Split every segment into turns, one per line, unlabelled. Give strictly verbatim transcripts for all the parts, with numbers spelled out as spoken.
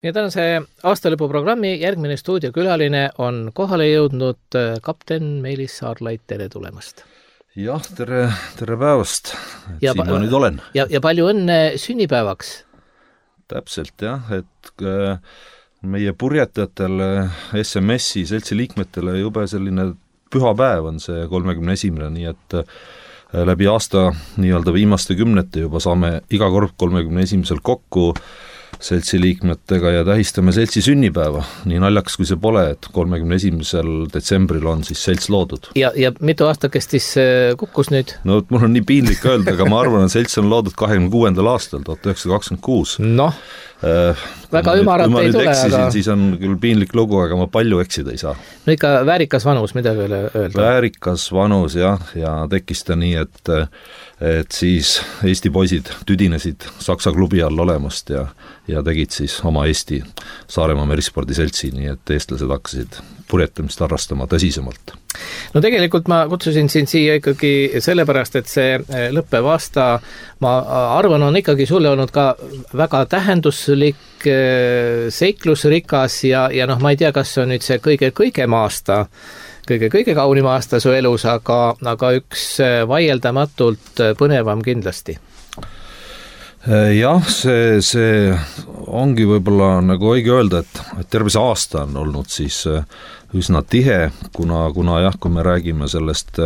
Ja tänase aastalõpuprogrammi järgmine stuudiokülaline on kohale jõudnud kapten Meelis Saarlaid, tere tulemast.
Jah, tere, tere päevast, et
ja,
siin ma nüüd olen.
Ja, ja palju õnne sünnipäevaks.
Täpselt jah, et meie purjetajatel S M S-i seltsi liikmetele jube selline püha päev on see kolmekümne esimene, nii et läbi aasta nii-öelda viimaste kümnete juba saame iga kord kolmekümne esimesel kokku seltsi liikmetega ja tähistame seltsi sünnipäeva. Nii naljaks kui see pole, et kolmekümne esimesel detsembril on siis selts loodud.
Ja, ja mitu aastakestis kukkus nüüd?
No mul on nii piinlik öelda, aga ma arvan, et selts on loodud kakskümmend kuuendal aastal, tuhat üheksasada kakskümmend kuus.
Noh, äh, väga ümarat ei tule,
eksisin,
aga...
siis on küll piinlik lugu, aga ma palju eksida ei saa.
No ikka väärikas vanus, mida veel öelda?
Väärikas vanus, jah, ja tekkis ta nii, et et siis Eesti poisid tüdinesid Saksa klubi all olemast ja, ja tegid siis oma Eesti Saaremaa Merispordi seltsi, nii et eestlased hakkasid purjetamist harrastama tõsisemalt.
No tegelikult ma kutsusin sind siia ikkagi sellepärast, et see lõppev aasta, ma arvan, on ikkagi sulle olnud ka väga tähenduslik, seiklusrikas ja, ja noh, ma ei tea, kas see on nüüd see kõige-kõigem aasta, kõige-kõige kaunim aasta su elus, aga, aga üks vaieldamatult põnevam kindlasti.
Jah, see, see ongi võib-olla nagu õige öelda, et, et terve see aasta on olnud siis üsna tihe, kuna, kuna jah, kui me räägime sellest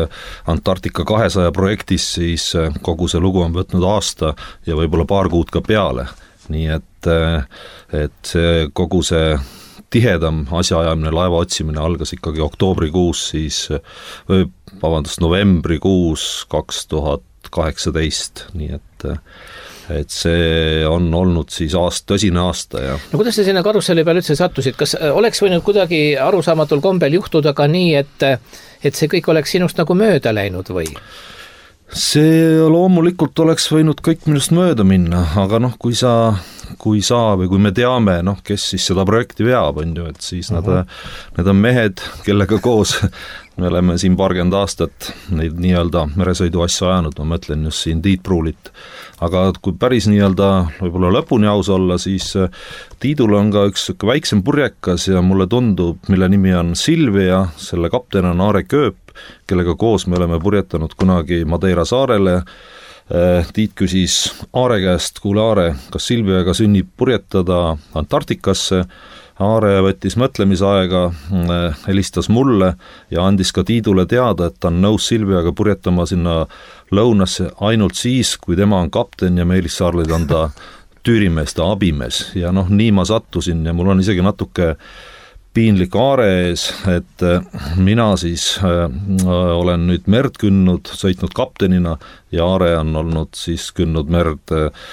Antarktika kahesaja projektist, siis kogu see lugu on võtnud aasta ja võib-olla paar kuud ka peale. Nii et, et see, kogu see tihedam asjaajamine, laeva otsimine algas ikkagi oktoobrikuus, siis või vabandust, novembrikuus kaks tuhat kaheksateist, nii et et see on olnud siis aast, tõsine aasta. Ja... No
kuidas sa sinna karusselli peal üldse sattusid? Kas oleks võinud kuidagi arusaamatul kombel juhtuda ka nii, et, et see kõik oleks sinust nagu mööda läinud või?
See loomulikult oleks võinud kõik minust mööda minna, aga noh, kui sa, kui sa või kui me teame, noh, kes siis seda projekti veab, on ju, et siis uh-huh. nad, need on mehed, kellega koos me oleme siin paarkümmend aastat neid nii-öelda meresõidu asja ajanud, ma mõtlen just siin Tiit Pruulit. Aga kui päris nii-öelda võib-olla lõpuni aus olla, siis Tiidul on ka üks väiksem purjekas ja mulle tundub, mille nimi on Silvia, selle kapten on Aare Kööp, kellega koos me oleme purjetanud kunagi Madeira saarele. Tiit küsis Aare käest, kuule Aare, kas Silviaga sünnib purjetada Antarktikasse? Aare võttis mõtlemisaega, helistas mulle ja andis ka Tiidule teada, et ta on nõus Silviaga purjetama sinna lõunasse ainult siis, kui tema on kapten ja Meelis Saarlaid on ta tüürimees, ta abimees. Ja noh, nii ma sattusin ja mul on isegi natuke piinlik Aare ees, et mina siis äh, olen nüüd merd künnud, sõitnud kaptenina ja Aare on olnud siis künnud merd äh,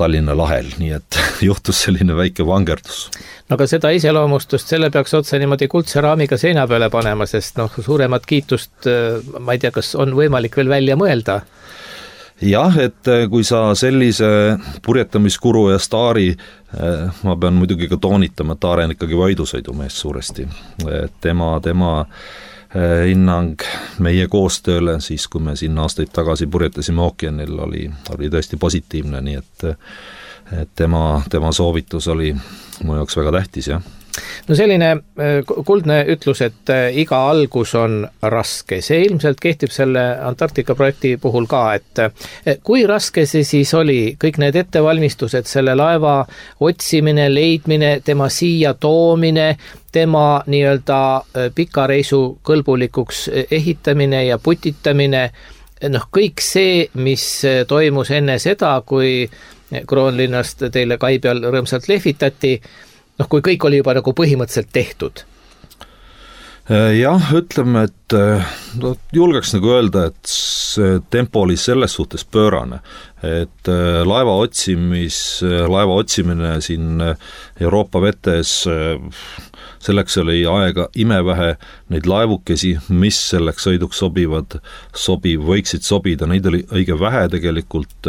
Tallinna lahel, nii et juhtus selline väike vangerdus.
No aga seda iseloomustust, selle peaks otse niimoodi kuldse raamiga seina peale panema, sest noh, suuremat kiitust, ma ei tea, kas on võimalik veel välja mõelda?
Jah, et kui sa sellise purjetamiskuru ja staari, ma pean muidugi ka toonitama, et Aare on ikkagi võidusõidumees suuresti. Tema, tema hinnang meie koostööle, siis kui me siin aastaid tagasi purjetasime ookeanil, oli, oli tõesti positiivne, nii et, et tema, tema soovitus oli mu jaoks väga tähtis, jah.
No selline kuldne ütlus, et iga algus on raske. See ilmselt kehtib selle Antarktika projekti puhul ka, et kui raske see siis oli, kõik need ettevalmistused, selle laeva otsimine, leidmine, tema siia toomine, tema nii-öelda pikareisu kõlbulikuks ehitamine ja putitamine, noh kõik see, mis toimus enne seda, kui Kroonlinnast teile kai peal rõõmsalt lehvitati, noh, kui kõik oli juba nagu põhimõtteliselt tehtud?
Jah, ütleme, et no, julgeks nagu öelda, et see tempo oli selles suhtes pöörane, et laeva otsimis, laeva otsimine siin Euroopa vetes, selleks oli aega imevähe neid laevukesi, mis selleks sõiduks sobivad, sobiv, võiksid sobida, neid oli õige vähe tegelikult,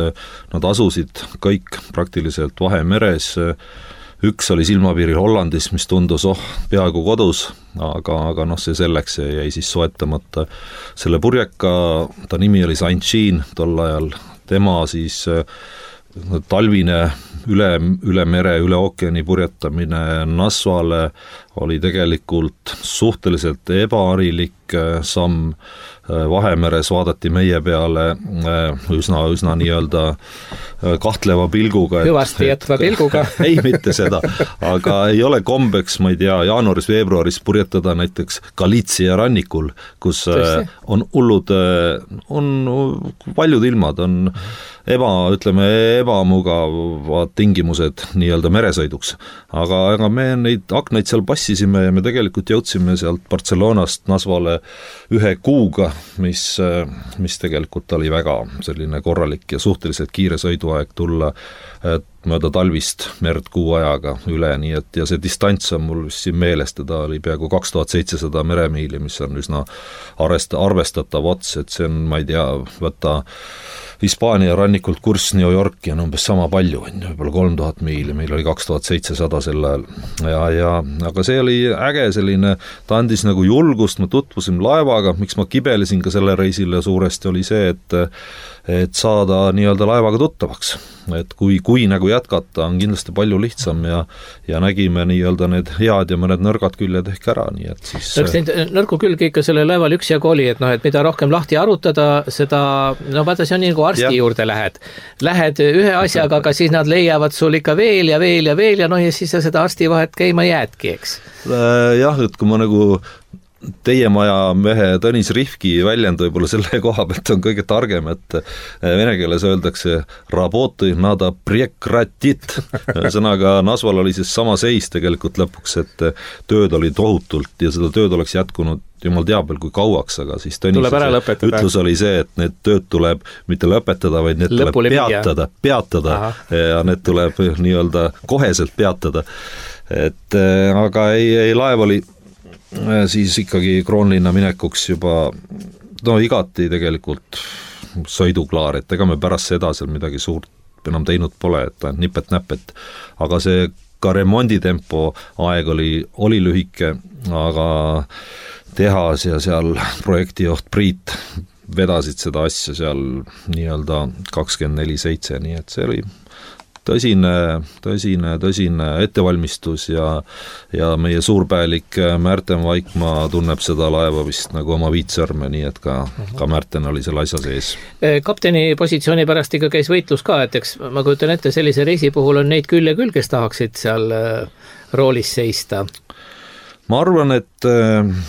nad asusid kõik praktiliselt Vahemeres, üks oli silmapiiril Hollandis, mis tundus oh, peaaegu kodus, aga, aga noh, see selleks jäi siis soetamata. Selle purjeka, ta nimi oli Saint Jean tol ajal, tema siis talvine üle, üle mere, üle ookeani purjetamine Nasvale oli tegelikult suhteliselt ebaharilik samm. Vahemeres vaadati meie peale üsna, üsna nii-öelda kahtleva pilguga.
Hüvasti jätva pilguga.
Ei, mitte seda, aga ei ole kombeks, ma ei tea, jaanuaris-veebruaris purjetada näiteks Galiitsia rannikul, kus Tõesti? on hullud, on paljud ilmad, on eba, ütleme, ebamugavad tingimused nii-öelda meresõiduks. Aga, aga me neid aknaid seal passisime ja me tegelikult jõudsime sealt Barcelonast Nasvale ühe kuuga, mis, mis tegelikult oli väga selline korralik ja suhteliselt kiire sõiduaeg tulla mööda talvist merd kuu ajaga üle, nii et ja see distants on mul vist siin meeles, teda oli peaaegu kaks tuhat seitsesada meremiili, mis on üsna arvesta, arvestatav ots, et see on, ma ei tea, võtta Hispaania rannikult kurss New Yorki on umbes sama palju, võib-olla kolm tuhat miili, meil oli kaks tuhat seitsesada sel ajal ja, ja aga see oli äge selline, ta andis nagu julgust, ma tutvusin laevaga, miks ma kibelesin ka selle reisile suuresti oli see, et et saada nii-öelda laevaga tuttavaks, et kui, kui nagu jätkata on kindlasti palju lihtsam ja, ja nägime nii-öelda need head ja mõned nõrgad küljed ehk ära, nii et siis
no, neid nõrgu külgi ikka selle laeval üksjagu oli, et noh, et mida rohkem lahti arutada, seda, no vaata, see on nii nagu arsti ja. juurde lähed. Lähed ühe asjaga, aga siis nad leiavad sul ikka veel ja veel ja veel ja noh, ja siis sa seda arsti vahet käima jäädki, eks?
Jah, et kui ma nagu teie maja mehe Tõnis Rihki väljend võib-olla selle koha pealt on kõige targem, et vene keeles öeldakse работы надо прекратить. Sõnaga Nasval oli siis sama seis tegelikult lõpuks, et tööd oli tohutult ja seda tööd oleks jätkunud jumal teab veel kui kauaks, aga siis Tõnis ütlus oli see, et need tööd tuleb mitte lõpetada, vaid need Lõpule tuleb peatada, peatada Aha. ja need tuleb nii-öelda koheselt peatada. Et aga ei, ei laev oli siis ikkagi Kroonlinna minekuks juba no igati tegelikult sõiduklaar, et ega me pärast seda seal midagi suurt enam teinud pole, et nipet-näpet, aga see ka remonditempo aeg oli, oli lühike, aga tehas ja seal projektijuht Priit vedasid seda asja seal nii-öelda kakskümmend neli seitse, nii et see oli tõsine, tõsine, tõsine ettevalmistus ja, ja meie suurpäelik Märten Vaikmaa tunneb seda laeva vist nagu oma viitsõrme, nii et ka, ka Märten oli selle asja sees.
Kapteni positsiooni pärast ikka käis võitlus ka, et eks ma kujutan ette, sellise reisi puhul on neid külje küll, kes tahaksid seal roolis seista.
Ma arvan, et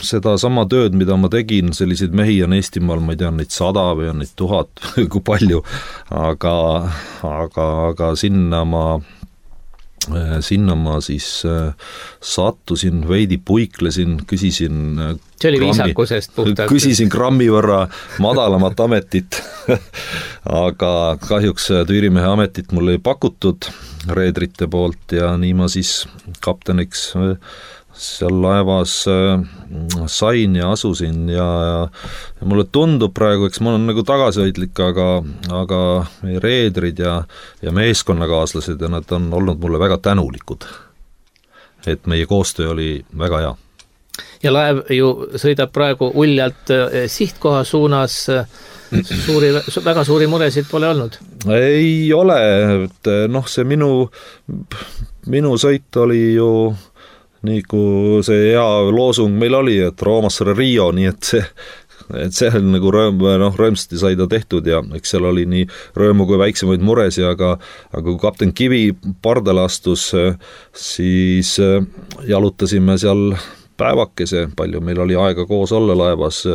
seda sama tööd, mida ma tegin, selliseid mehi on Eestimaal, ma ei tea, neid sada või on neid tuhat, kui palju, aga, aga, aga sinna ma, sinna ma siis sattusin, veidi puiklesin, küsisin
see oli viisakusest puhtalt.
Küsisin grammi võrra madalamat ametit, aga kahjuks tüürimehe ametit mulle ei pakutud reedrite poolt ja nii ma siis kapteniks seal laevas sain ja asusin ja, ja mulle tundub praegu, eks ma olen nagu tagasihoidlik, aga, aga meie reedrid ja, ja meeskonnakaaslased ja nad on olnud mulle väga tänulikud, et meie koostöö oli väga hea.
Ja laev ju sõidab praegu uljalt sihtkoha suunas, suuri, väga suuri muresid pole olnud?
Ei ole, et noh, see minu, minu sõit oli ju nii kui see hea loosung meil oli, et Roomasse Rio, nii et see, et see on nagu rõõm, noh, rõõmsasti sai ta tehtud ja eks seal oli nii rõõmu kui väiksemaid muresi, aga, aga kui kapten Kivi pardale astus, siis jalutasime seal päevakese, palju meil oli aega koos olla laevas,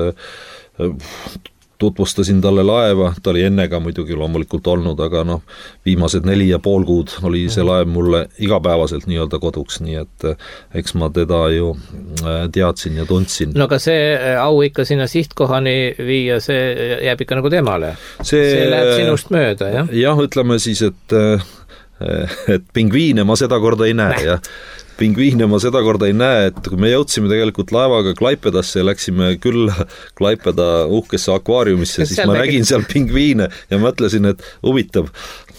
tutvustasin talle laeva, ta oli enne ka muidugi loomulikult olnud, aga noh, viimased neli ja pool kuud oli see laev mulle igapäevaselt nii-öelda koduks, nii et eks ma teda ju teadsin ja tundsin.
No aga see au ikka sinna sihtkohani viia, see jääb ikka nagu temale. See, see läheb sinust mööda, jah?
Jah, ütleme siis, et, et pingviine ma seda korda ei näe, jah. Pingviine ma seda korda ei näe, et kui me jõudsime tegelikult laevaga Klaipedasse ja läksime küll Klaipeda uhkesse akvaariumisse, siis ma nägin seal pingviine ja mõtlesin, et huvitav,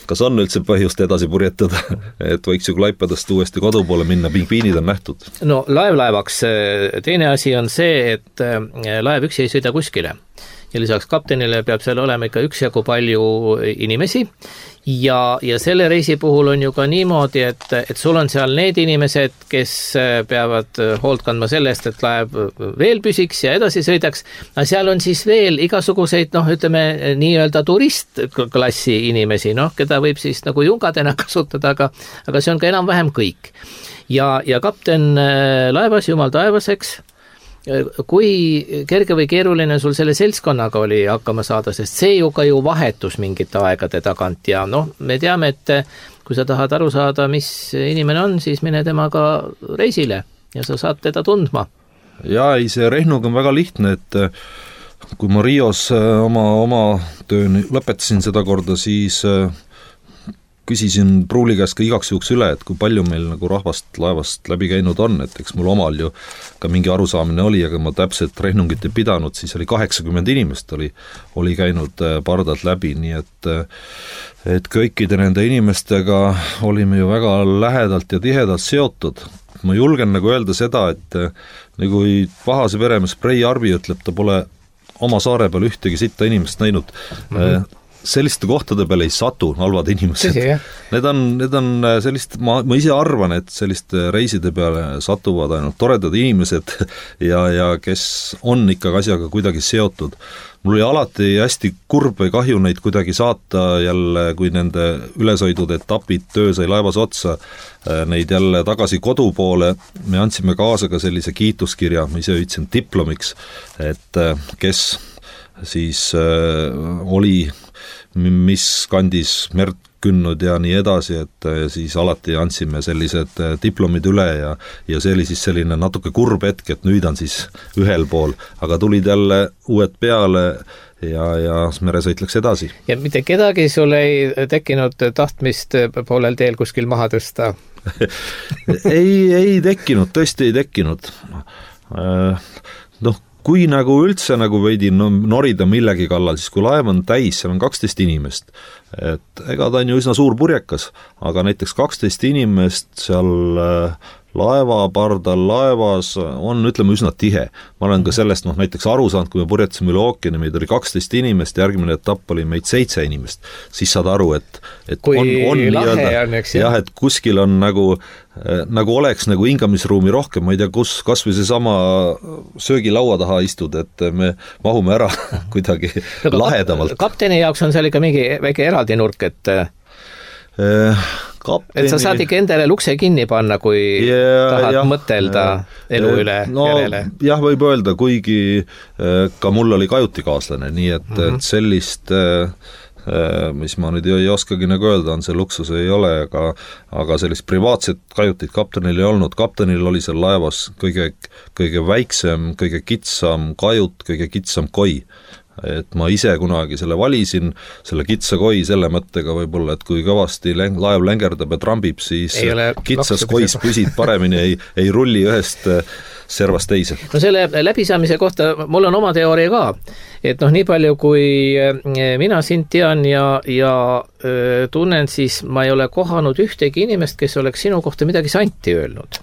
kas on üldse põhjust edasi purjetada, et võiks ju Klaipedast uuesti kodu poole minna, pingviinid on nähtud.
No laev laevaks, teine asi on see, et laev üksi ei sõida kuskile. ja lisaks kaptenile peab seal olema ikka üksjagu palju inimesi ja, ja selle reisi puhul on ju ka niimoodi, et, et sul on seal need inimesed, kes peavad hoolt kandma sellest, et laev veel püsiks ja edasi sõidaks, aga seal on siis veel igasuguseid, noh, ütleme nii-öelda turistklassi inimesi, noh, keda võib siis nagu jungadena kasutada, aga, aga see on ka enam-vähem kõik. Ja, ja kapten laevas, jumal taevaseks, kui kerge või keeruline sul selle seltskonnaga oli hakkama saada, sest see ju ka ju vahetus mingite aegade tagant ja noh, me teame, et kui sa tahad aru saada, mis inimene on, siis mine temaga reisile ja sa saad teda tundma.
Ja ei, see Rehnug on väga lihtne, et kui ma Rios oma, oma töö lõpetasin seda korda, siis küsisin pruuli käest ka igaks juhuks üle, et kui palju meil nagu rahvast laevast läbi käinud on, et eks mul omal ju ka mingi arusaamine oli, aga ma täpselt Rehnungit ei pidanud, siis oli kaheksakümmend inimest oli, oli käinud pardalt läbi, nii et et kõikide nende inimestega olime ju väga lähedalt ja tihedalt seotud. Ma julgen nagu öelda seda, et nagu pahase veremees Prei Arvi ütleb, ta pole oma saare peal ühtegi sitta inimest näinud, mm-hmm. selliste kohtade peale ei satu halvad inimesed. Need on, need on sellist, ma, ma ise arvan, et selliste reiside peale satuvad ainult toredad inimesed ja, ja kes on ikka asjaga kuidagi seotud. Mul oli alati hästi kurb või kahju neid kuidagi saata jälle, kui nende ülesõidud etapid töö sai laevas otsa, neid jälle tagasi kodu poole. Me andsime kaasa ka sellise kiituskirja, ma ise ütlesin diplomiks, et kes siis oli mis kandis merd künnud ja nii edasi, et siis alati andsime sellised diplomid üle ja, ja see oli siis selline natuke kurb hetk, et nüüd on siis ühel pool, aga tulid jälle uued peale ja, ja meresõit läks edasi.
Ja mitte kedagi sul ei tekkinud tahtmist poolel teel kuskil maha tõsta?
ei, ei tekkinud, tõesti ei tekkinud. Noh, kui nagu üldse nagu veidi no, norida millegi kallal, siis kui laev on täis, seal on kaksteist inimest, et ega ta on ju üsna suur purjekas, aga näiteks kaksteist inimest seal laevapardal laevas on, ütleme, üsna tihe. Ma olen ka sellest noh, näiteks aru saanud, kui me purjetasime üle ookeani, meid oli kaksteist inimest, järgmine etapp oli meid seitse inimest, siis saad aru, et, et
kui
on, on
lahe on, eks
jah, et kuskil on nagu, nagu oleks nagu hingamisruumi rohkem, ma ei tea, kus kas või seesama söögilaua taha istud, et me mahume ära kuidagi no, lahedamalt.
Kapteni jaoks on seal ikka mingi väike eraldi nurk, et Kapteni... et sa saad ikka endale lukse kinni panna, kui yeah, tahad jah, mõtelda elu üle
no, järele. Jah, võib öelda, kuigi ka mul oli kajutikaaslane, nii et, mm-hmm. et sellist, mis ma nüüd ei oskagi nagu öelda, on see luksus ei ole, aga, aga sellist privaatset kajutit kaptenil ei olnud. Kaptenil oli seal laevas kõige, kõige väiksem, kõige kitsam kajut, kõige kitsam koi. Et ma ise kunagi selle valisin, selle kitsa koi selle mõttega võib-olla, et kui kõvasti läng, laev längerdab ja trambib, siis kitsas kois püsid paremini, ei, ei rulli ühest servast teise.
No selle läbisaamise kohta mul on oma teooria ka, et noh, nii palju kui mina sind tean ja, ja öö, tunnen, siis ma ei ole kohanud ühtegi inimest, kes oleks sinu kohta midagi santi öelnud.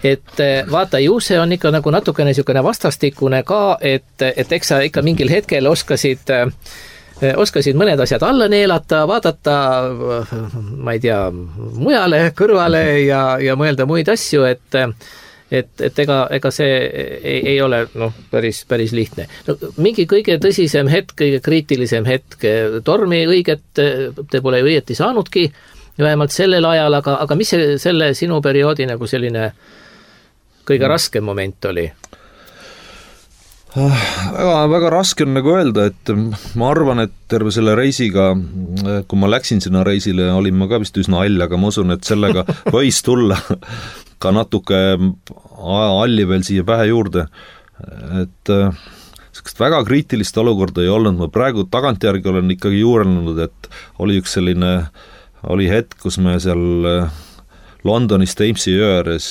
Et vaata, ju see on ikka nagu natukene niisugune vastastikune ka, et, et eks sa ikka mingil hetkel oskasid, oskasid mõned asjad alla neelata, vaadata, ma ei tea, mujale, kõrvale ja, ja mõelda muid asju, et et, et ega, ega see ei, ei ole noh, päris, päris lihtne. No, mingi kõige tõsisem hetk, kõige kriitilisem hetk, tormi õiget te pole õieti saanudki, vähemalt sellel ajal, aga, aga mis see, selle sinu perioodi nagu selline kõige raskem moment oli?
Väga, väga raske on nagu öelda, et ma arvan, et terve selle reisiga, kui ma läksin sinna reisile, olin ma ka vist üsna all, aga ma usun, et sellega võis tulla ka natuke alli veel siia pähe juurde, et sellist väga kriitilist olukorda ei olnud, ma praegu tagantjärgi olen ikkagi juurelnud, et oli üks selline, oli hetk, kus me seal Londonis Thamesi jõe ääres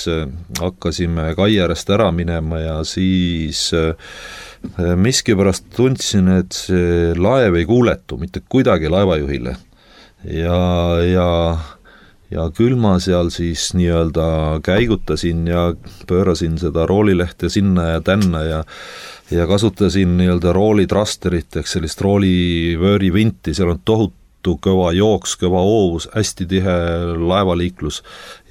hakkasime kai äärest ära minema ja siis miskipärast tundsin, et see laev ei kuuletu mitte kuidagi laevajuhile ja, ja, ja küll ma seal siis nii-öelda käigutasin ja pöörasin seda roolilehte sinna ja tänna ja ja kasutasin nii-öelda roolitrasterit ehk sellist roolivöörivinti, seal on tohutu kõva jooks, kõva hoovus, hästi tihe laevaliiklus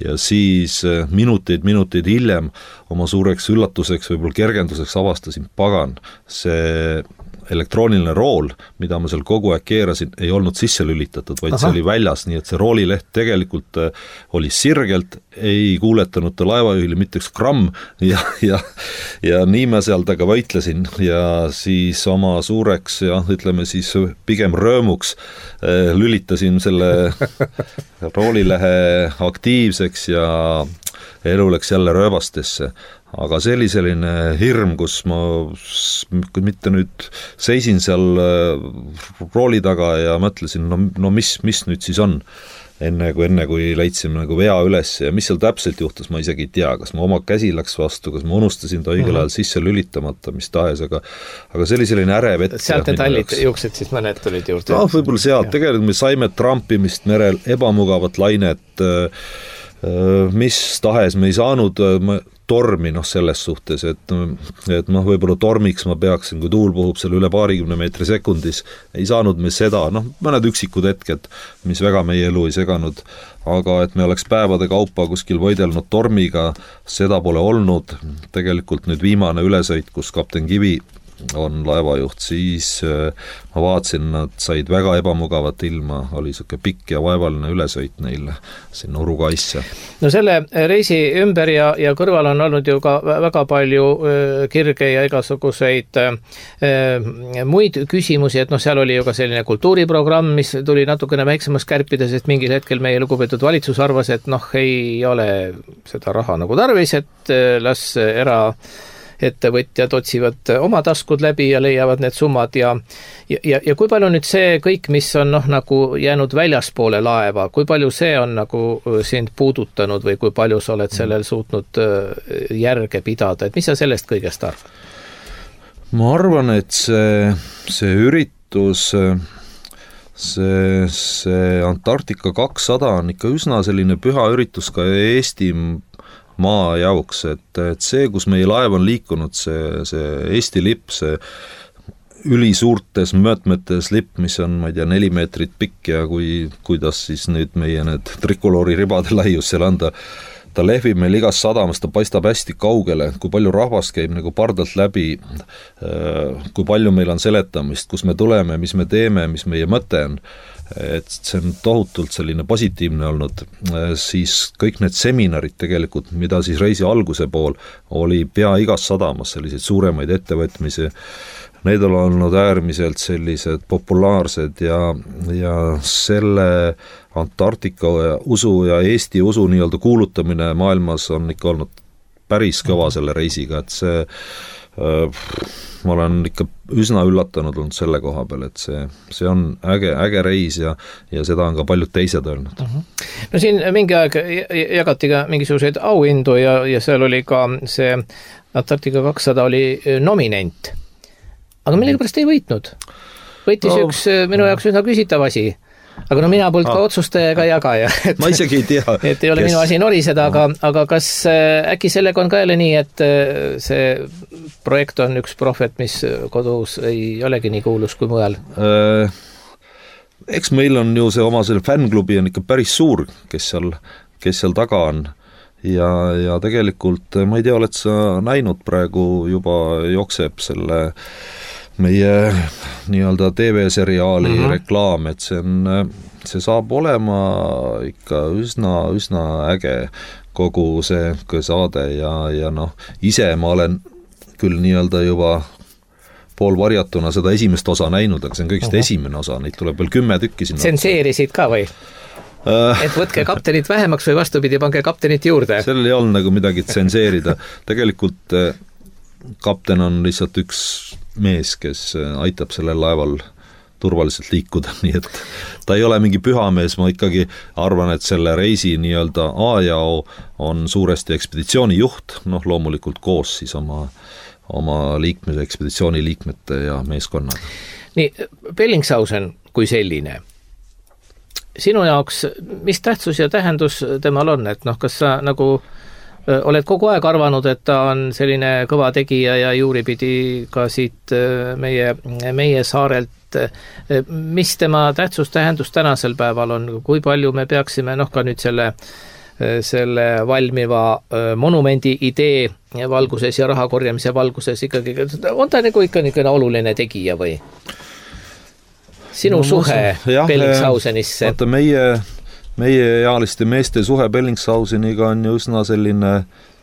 ja siis minuteid, minuteid hiljem oma suureks üllatuseks, võib-olla kergenduseks avastasin, pagan, see elektrooniline rool, mida ma seal kogu aeg keerasin, ei olnud sisse lülitatud, vaid Aha. see oli väljas, nii et see roolileht tegelikult oli sirgelt, ei kuuletanud ta laevajuhile mitte üks gramm ja, ja, ja nii ma seal taga võitlesin ja siis oma suureks ja ütleme siis pigem röömuks lülitasin selle roolilehe aktiivseks ja elu läks jälle rööbastesse. Aga see oli selline hirm, kus ma mitte nüüd seisin seal rooli taga ja mõtlesin, no, no mis, mis nüüd siis on, enne kui, enne kui leidsime nagu vea üles ja mis seal täpselt juhtus, ma isegi ei tea, kas ma oma käsi läks vastu, kas ma unustasin ta õigel ajal sisse lülitamata, mis tahes, aga, aga see oli selline ärev ette.
Sealt need hallid juuksed siis mõned tulid juurde?
No, võib-olla sealt, tegelikult me saime trampimist merel, ebamugavat lainet, mis tahes me ei saanud tormi noh selles suhtes, et, et noh, võib-olla tormiks ma peaksin, kui tuul puhub seal üle paarikümne meetri sekundis, ei saanud me seda, noh, mõned üksikud hetked, mis väga meie elu ei seganud, aga et me oleks päevade kaupa kuskil võidelnud tormiga, seda pole olnud, tegelikult nüüd viimane ülesõit, kus kapten Kivi on laevajuht, siis ma vaatasin, nad said väga ebamugavat ilma, oli siuke pikk ja vaevaline ülesõit neile sinna Uruguaysse.
No selle reisi ümber ja, ja kõrval on olnud ju ka väga palju kirge ja igasuguseid muid küsimusi, et noh, seal oli ju ka selline kultuuriprogramm, mis tuli natukene väiksemas kärpida, sest mingil hetkel meie lugupeetud valitsus arvas, et noh, ei ole seda raha nagu tarvis, et las era ettevõtjad otsivad oma taskud läbi ja leiavad need summad ja, ja, ja kui palju nüüd see kõik, mis on noh, nagu jäänud väljaspoole laeva, kui palju see on nagu sind puudutanud või kui palju sa oled sellel suutnud järge pidada, et mis sa sellest kõigest arvad?
Ma arvan, et see, see üritus, see, see Antarktika kakssada on ikka üsna selline püha üritus ka Eesti maa jauks, et, et see, kus meie laev on liikunud, see, see Eesti lipp, see ülisuurtes möötmetes lipp, mis on, ma ei tea, neli meetrit pikk ja kui, kuidas siis nüüd meie need trikoloori ribade laius seal anda, ta lehvib meil igas sadamas, ta paistab hästi kaugele, kui palju rahvast käib nagu pardalt läbi, kui palju meil on seletamist, kus me tuleme, mis me teeme, mis meie mõte on, et see on tohutult selline positiivne olnud, siis kõik need seminarid tegelikult, mida siis reisi alguse pool oli pea igas sadamas selliseid suuremaid ettevõtmisi, need on olnud äärmiselt sellised populaarsed ja, ja selle Antarktika usu ja Eesti usu nii-öelda kuulutamine maailmas on ikka olnud päris kõva selle reisiga, et see ma olen ikka üsna üllatunud olnud selle koha peal, et see, see on äge, äge reis ja, ja seda on ka paljud teised öelnud.
Uh-huh. No siin mingi aeg jagati ka mingisuguseid auhindu ja, ja seal oli ka see Antarktika kakssada oli nominent. Aga millegipärast ei võitnud. Võitis no, üks minu jaoks üsna küsitav asi. Aga no mina polnud ah. ka otsustajaga jagaja. Et,
ma isegi ei tea.
Et ei ole kes... minu asi noriseda, aga, aga kas äkki sellega on ka jälle nii, et see projekt on üks prohvet, mis kodus ei olegi nii kuulus kui mujal?
Äh, eks meil on ju see oma selle fännklubi on ikka päris suur, kes seal, kes seal taga on. Ja, ja tegelikult, ma ei tea, oled sa näinud praegu juba jookseb selle meie nii-öelda T V-seriaali mm-hmm. reklaam, et see on, see saab olema ikka üsna, üsna äge kogu see saade ja, ja noh, ise ma olen küll nii-öelda juba pool varjatuna seda esimest osa näinud, aga see on kõigest mm-hmm. esimene osa, neid tuleb veel kümme tükki sinna.
Tsenseerisid ka või? Et võtke kaptenit vähemaks või vastupidi, pange kaptenit juurde.
Sellel ei olnud nagu midagi tsenseerida. Tegelikult kapten on lihtsalt üks mees, kes aitab sellel laeval turvaliselt liikuda, nii et ta ei ole mingi pühamees, ma ikkagi arvan, et selle reisi nii-öelda A ja O on suuresti ekspeditsiooni juht, noh loomulikult koos siis oma, oma liikme, ekspeditsiooni liikmete ja meeskonnaga.
Nii, Bellingshausen kui selline, sinu jaoks, mis tähtsus ja tähendus temal on, et noh, kas sa nagu oled kogu aeg arvanud, et ta on selline kõva tegija ja juuripidi ka siit meie, meie saarelt. Mis tema tähtsus, tähendus tänasel päeval on, kui palju me peaksime, noh ka nüüd selle, selle valmiva monumendi idee valguses ja raha korjamise valguses ikkagi, on ta nagu ikka niisugune oluline tegija või? Sinu no, suhe jah, Bellingshausenisse?
Vaata, meie, meie ealiste meeste suhe Bellingshauseniga on ju üsna selline,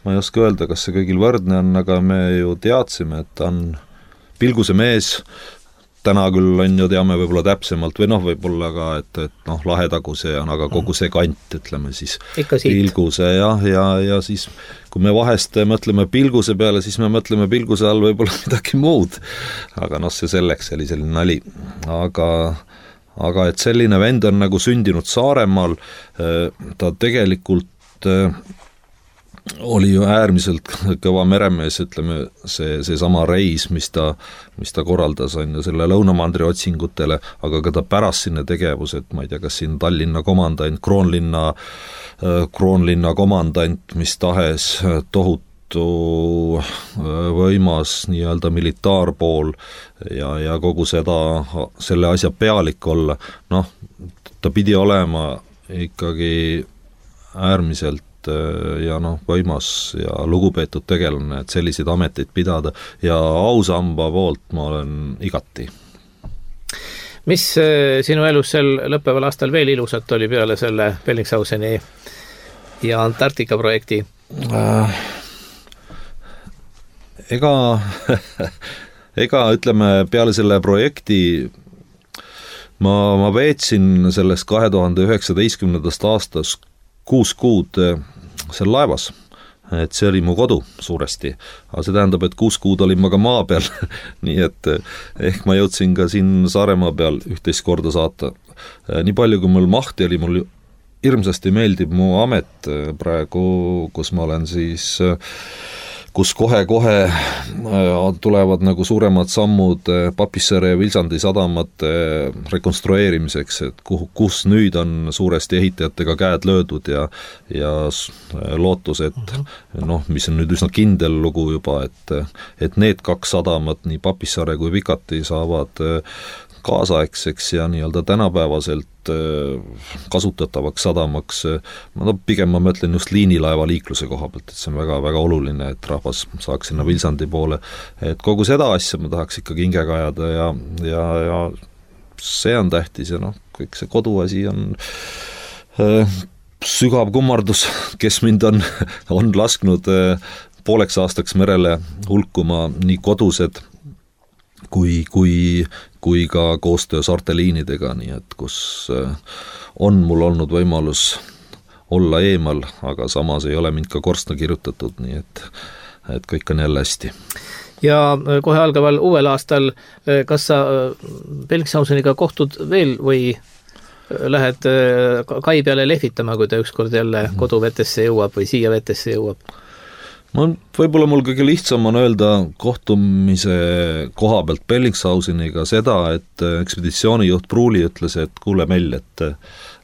ma ei oska öelda, kas see kõigil võrdne on, aga me ju teadsime, et ta on pilguse mees, täna küll on ju teame võib-olla täpsemalt või noh, võib-olla ka, et, et noh, Lahetaguse on, aga kogu see kant, ütleme siis pilguse jah, ja, ja siis kui me vahest mõtleme pilguse peale, siis me mõtleme pilguse all võib-olla midagi muud, aga noh, see selleks oli selline nali, aga aga et selline vend on nagu sündinud Saaremaal, ta tegelikult oli ju äärmiselt kõva meremees, ütleme, see, see sama reis, mis ta, mis ta korraldas, on ju selle lõunamandri otsingutele, aga ka ta pärast sinna tegevused, ma ei tea, kas siin Tallinna komandant, Kroonlinna, Kroonlinna komandant, mis tahes tohutu võimas nii-öelda militaarpool ja, ja kogu seda, selle asja pealik olla, noh, ta pidi olema ikkagi äärmiselt ja noh, võimas ja lugupeetud tegelane, et selliseid ameteid pidada ja ausamba poolt ma olen igati.
Mis sinu elus sel lõppeval aastal veel ilusat oli peale selle Bellingshauseni ja Antarktika projekti? Äh,
ega, ega ütleme peale selle projekti ma, ma veetsin sellest kahe tuhande üheksateistkümnendast aastast kuus kuud seal laevas, et see oli mu kodu suuresti, aga see tähendab, et kuus kuud olin ma ka maa peal, nii et ehk ma jõudsin ka siin Saaremaa peal üht-teist korda saata. Nii palju, kui mul mahti oli, mul hirmsasti meeldib mu amet praegu, kus ma olen siis, kus kohe-kohe tulevad nagu suuremad sammud Papissaare ja Vilsandi sadamate rekonstrueerimiseks, et kuhu, kus nüüd on suuresti ehitajatega käed löödud ja, ja lootus, et noh, mis on nüüd üsna kindel lugu juba, et, et need kaks sadamat, nii Papissaare kui Vikati saavad kaasaegseks ja nii-öelda tänapäevaselt kasutatavaks sadamaks, no pigem ma mõtlen just liinilaeva liikluse koha pealt, et see on väga, väga oluline, et rahvas saaks sinna Vilsandi poole, et kogu seda asja ma tahaks ikkagi hingega ajada ja, ja, ja see on tähtis ja noh, kõik see koduasi on äh, sügav kummardus, kes mind on, on lasknud äh, pooleks aastaks merele hulkuma nii kodused kui, kui, kui ka koostöö saarteliinidega, nii et kus on mul olnud võimalus olla eemal, aga samas ei ole mind ka korstna kirjutatud, nii et, et kõik on jälle hästi.
Ja kohe algaval uuel aastal, kas sa Bellingshauseniga kohtud veel või lähed kai peale lehvitama, kui ta ükskord jälle koduvetesse jõuab või siia vetesse jõuab?
Ma, võib-olla mul kõige lihtsam on öelda kohtumise koha pealt Bellingshauseniga seda, et ekspeditsioonijuht Pruuli ütles, et kuule Mell, et,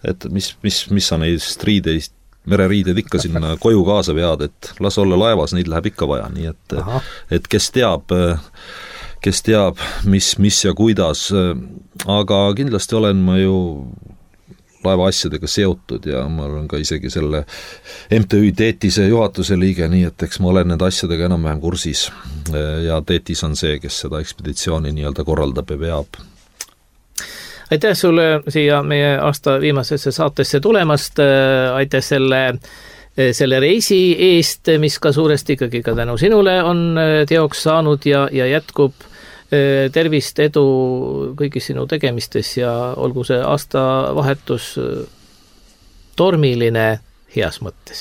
et mis, mis, mis sa neist riideist, mereriided ikka sinna koju kaasa vead, et las olla laevas, neid läheb ikka vaja, nii et, et kes teab, kes teab, mis, mis ja kuidas, aga kindlasti olen ma ju laeva asjadega seotud ja ma olen ka isegi selle M T Ü Teetise juhatuse liige, nii et eks ma olen nende asjadega enam-vähem kursis ja Teetis on see, kes seda ekspeditsiooni nii-öelda korraldab ja veab.
Aitäh sulle siia meie aasta viimasesse saatesse tulemast, aitäh selle, selle reisi eest, mis ka suuresti ikkagi ka tänu sinule on teoks saanud ja, ja jätkub. Tervist, edu kõigis sinu tegemistes ja olgu see aastavahetus tormiline heas mõttes.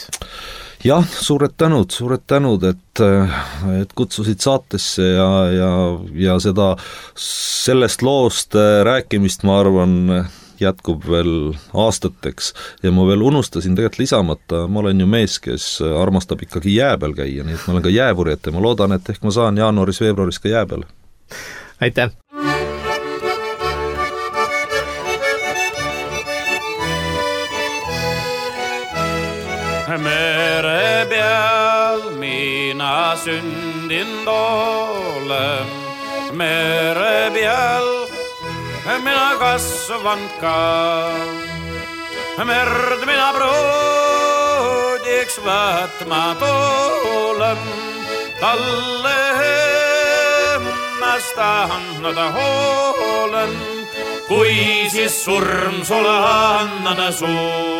Jah, suured tänud, suured tänud, et, et kutsusid saatesse ja, ja, ja seda, sellest loost rääkimist, ma arvan, jätkub veel aastateks ja ma veel unustasin tegelikult lisamata, ma olen ju mees, kes armastab ikkagi jää peal käia, nii et ma olen ka jäävurijat ja ma loodan, et ehk ma saan jaanuaris-veebruaris ka jää peal.
Aitäh!
Mere peal mina sündinud olen, mere peal mina kasvanud ka. Merd mina pruudiks võtma tulen, talle ennast annada hoolen, kui siis surm sulle annada suu,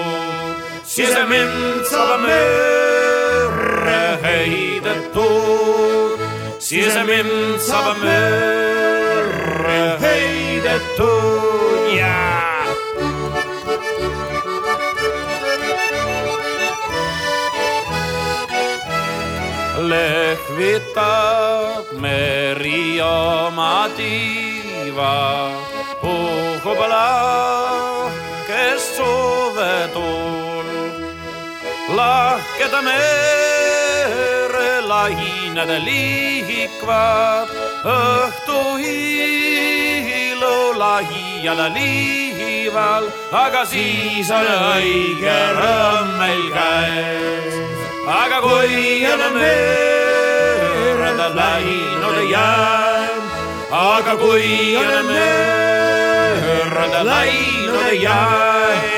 siis mind saab merre heidetud, siis mind saab merre heidetud, jää. Lehvitab meri oma tiiva, puhub lahkest suvetuul. Lahkeda mere lained liikvad, õhtu hiilu laial liival, aga siis on õige rõõm meil käes. Aga kui on mereda läinud jään, aga kui on mereda läinud jään.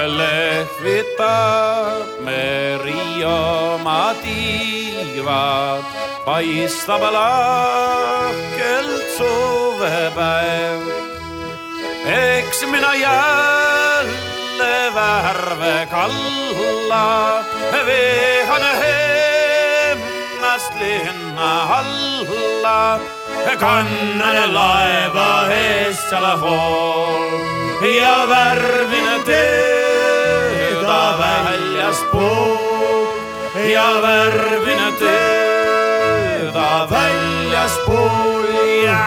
Lehvitab meri oma tiivad, paistab lahkelt suvepäev. Eks mina jälle värve kalla, vehan ennast linna alla, kannan laeva eest selle hool ja värvin teda väljaspool ja värvin teda väljaspool ja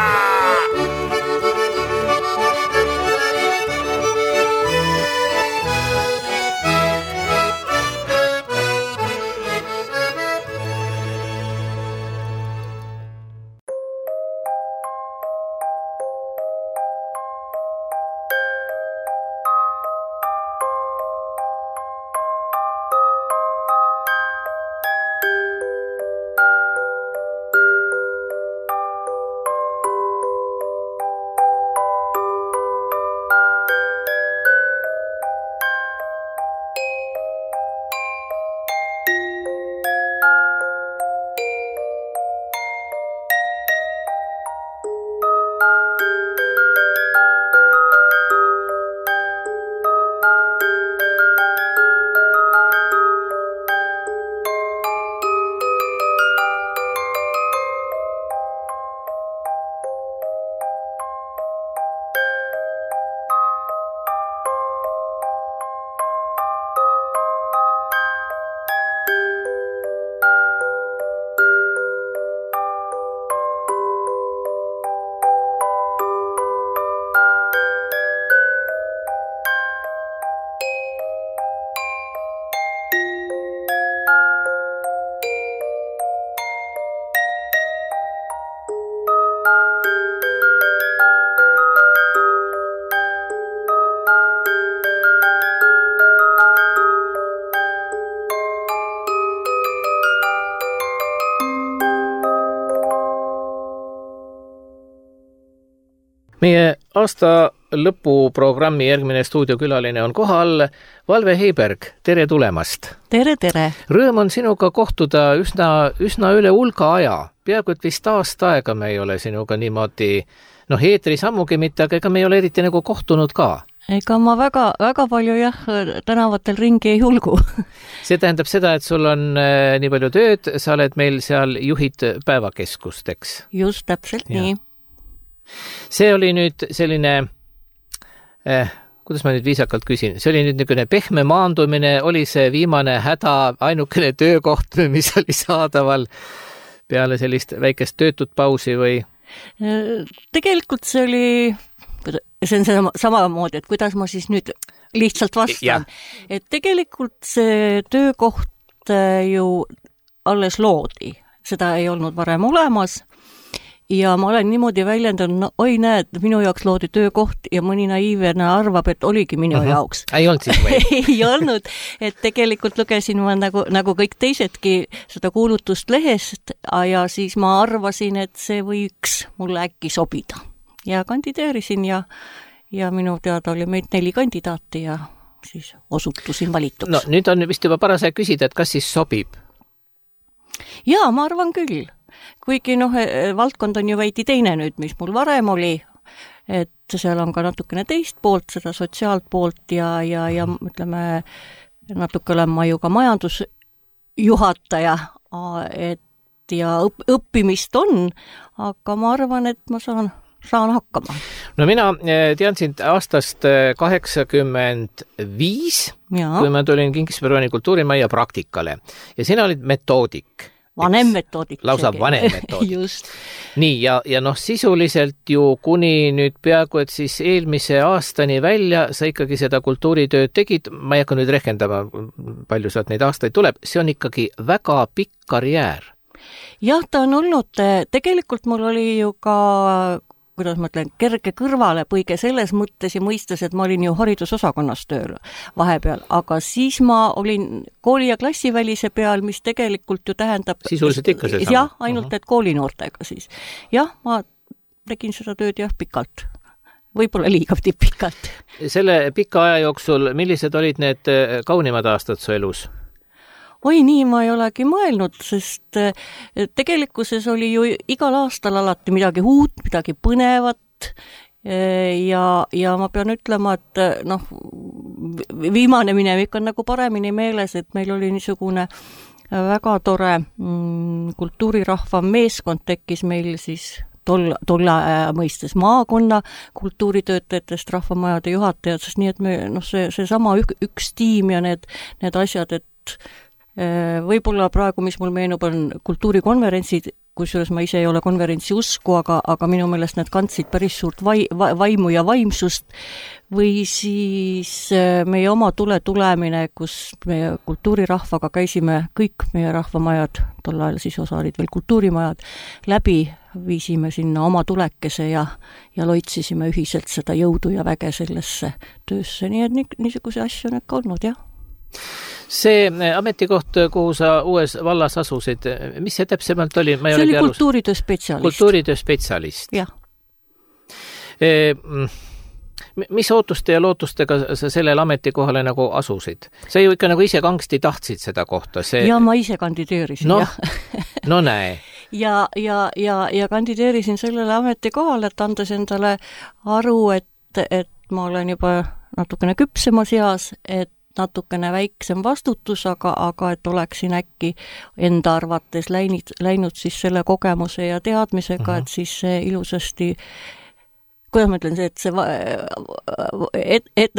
Meie aasta lõpuprogrammi järgmine stuudiokülaline on kohal. Valve Heiberg, tere tulemast!
Tere, tere!
Rõõm on sinuga kohtuda üsna, üsna üle hulga aja. Peaaegu et vist aasta aega me ei ole sinuga niimoodi noh, eetris ammugi mitte, aga ega me ei ole eriti nagu kohtunud ka.
Ega ma väga, väga palju jah, tänavatel ringi ei hulgu.
See tähendab seda, et sul on äh, nii palju tööd, sa oled meil seal juhid päevakeskust, eks?
Just, täpselt ja. Nii.
See oli nüüd selline, eh, kuidas ma nüüd viisakalt küsin, see oli nüüd niisugune pehme maandumine, oli see viimane häda, ainukene töökoht, mis oli saadaval peale sellist väikest töötut pausi või?
Tegelikult see oli, see on sama, samamoodi, et kuidas ma siis nüüd lihtsalt vastan. Et tegelikult see töökoht ju alles loodi, seda ei olnud varem olemas ja ma olen niimoodi väljendanud, no oi näed, minu jaoks loodi töökoht ja mõni naiivene arvab, et oligi minu uh-huh. jaoks.
Ei olnud siis või?
Ei olnud, et tegelikult lugesin ma nagu, nagu kõik teisedki seda kuulutust lehest ja siis ma arvasin, et see võiks mulle äkki sobida. Ja kandideerisin ja, ja minu teada oli meid neli kandidaati ja siis osutusin valituks.
No nüüd on vist juba parasjagu küsida, et kas siis sobib?
Jaa, ma arvan küll. Kuigi noh, valdkond on ju veidi teine nüüd, mis mul varem oli, et seal on ka natukene teist poolt, seda sotsiaalt poolt ja, ja, ja ütleme, natuke olen ma ju ka majandusjuhataja, et ja õpp, õppimist on, aga ma arvan, et ma saan, saan hakkama.
No mina tean sind aastast kaheksakümmend viis, kui ma tulin Kingisperoni kultuurimajja praktikale ja sina olid metoodik.
Vanem metoodik.
Lausa vanem metoodik. Just. Nii, ja, ja noh, sisuliselt ju kuni nüüd peaaegu, et siis eelmise aastani välja sa ikkagi seda kultuuritööd tegid, ma ei hakka nüüd rehkendama, palju sealt neid aastaid tuleb, see on ikkagi väga pikk karjäär.
Jah, ta on olnud, tegelikult mul oli ju ka kuidas ma ütlen, kerge kõrvale põige selles mõttes ja mõistes, et ma olin ju haridusosakonnas tööl vahepeal, aga siis ma olin kooli- ja klassivälise peal, mis tegelikult ju tähendab
sisuliselt ikka see sama.
Jah, ainult et koolinoortega siis. Jah, ma tegin seda tööd jah pikalt. Võib-olla liiga pikalt.
Selle pika aja jooksul, millised olid need kaunimad aastad su elus?
Oi, nii ma ei olegi mõelnud, sest tegelikkuses oli ju igal aastal alati midagi uut, midagi põnevat ja, ja ma pean ütlema, et noh, viimane minevik on nagu paremini meeles, et meil oli niisugune väga tore mm, kultuurirahva meeskond tekkis meil siis tolle, tolle mõistes maakonna kultuuritöötajatest, rahvamajade juhatajatest, nii et me, noh, see, see sama ük, üks tiim ja need, need asjad, et võib-olla praegu, mis mul meenub, on kultuurikonverentsid, kusjuures ma ise ei ole konverentsi usku, aga, aga minu meelest need kandsid päris suurt vai, va, vaimu ja vaimsust, või siis meie oma tule tulemine, kus meie kultuurirahvaga käisime kõik meie rahvamajad, tol ajal siis osa olid veel kultuurimajad, läbi viisime sinna oma tulekese ja, ja loitsisime ühiselt seda jõudu ja väge sellesse töösse, nii et nii, niisuguse asju on ikka olnud, jah.
See ametikoht, kuhu sa uues vallas asusid, mis see täpsemalt oli? Ma
see oli kultuuritöö spetsialist.
Kultuuritöö spetsialist.
Jah.
E, mis ootuste ja lootustega sa sellele ametikohale nagu asusid? Sa ju ikka nagu ise kangsti tahtsid seda kohta. See...
Ja ma ise kandideerisin,
no,
jah.
No näe.
Ja, ja, ja, ja kandideerisin sellele ametikohale, et andes endale aru, et, et ma olen juba natukene küpsemas eas, et natukene väiksem vastutus, aga, aga et oleksin äkki enda arvates läinud, läinud siis selle kogemuse ja teadmisega, uh-huh. et siis see ilusasti, kuidas ma ütlen, see, et see et, et,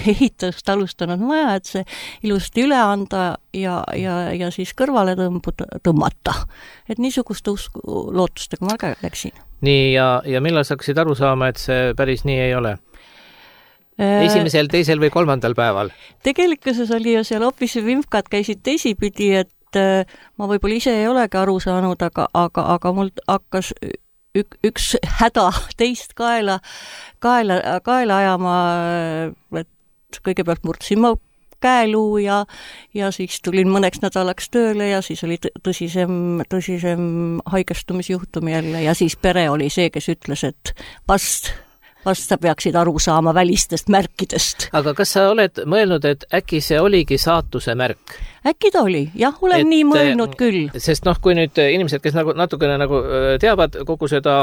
ehitust alustanud maja, et see ilusti üle anda ja, ja, ja siis kõrvale tõmbuda, tõmmata. Et niisugust usku, lootustega ma ka läksin.
Nii, ja, ja millal sa hakkasid aru saama, et see päris nii ei ole? Esimesel, teisel või kolmandal päeval?
Tegelikkuses oli ju seal hoopis vimkad käisid teisipidi, et ma võib-olla ise ei olegi aru saanud, aga, aga, aga mul hakkas ük, üks häda teist kaela, kaela, kaela ajama, et kõigepealt murdsin ma käeluu ja, ja siis tulin mõneks nädalaks tööle ja siis oli tõsisem, tõsisem haigestumisjuhtum jälle ja siis pere oli see, kes ütles, et vast vast sa peaksid aru saama välistest märkidest.
aga kas sa oled mõelnud, et äkki see oligi saatuse märk?
Äkki ta oli, jah, olen et, nii mõelnud küll.
Sest noh, kui nüüd inimesed, kes nagu natukene nagu teavad kogu seda,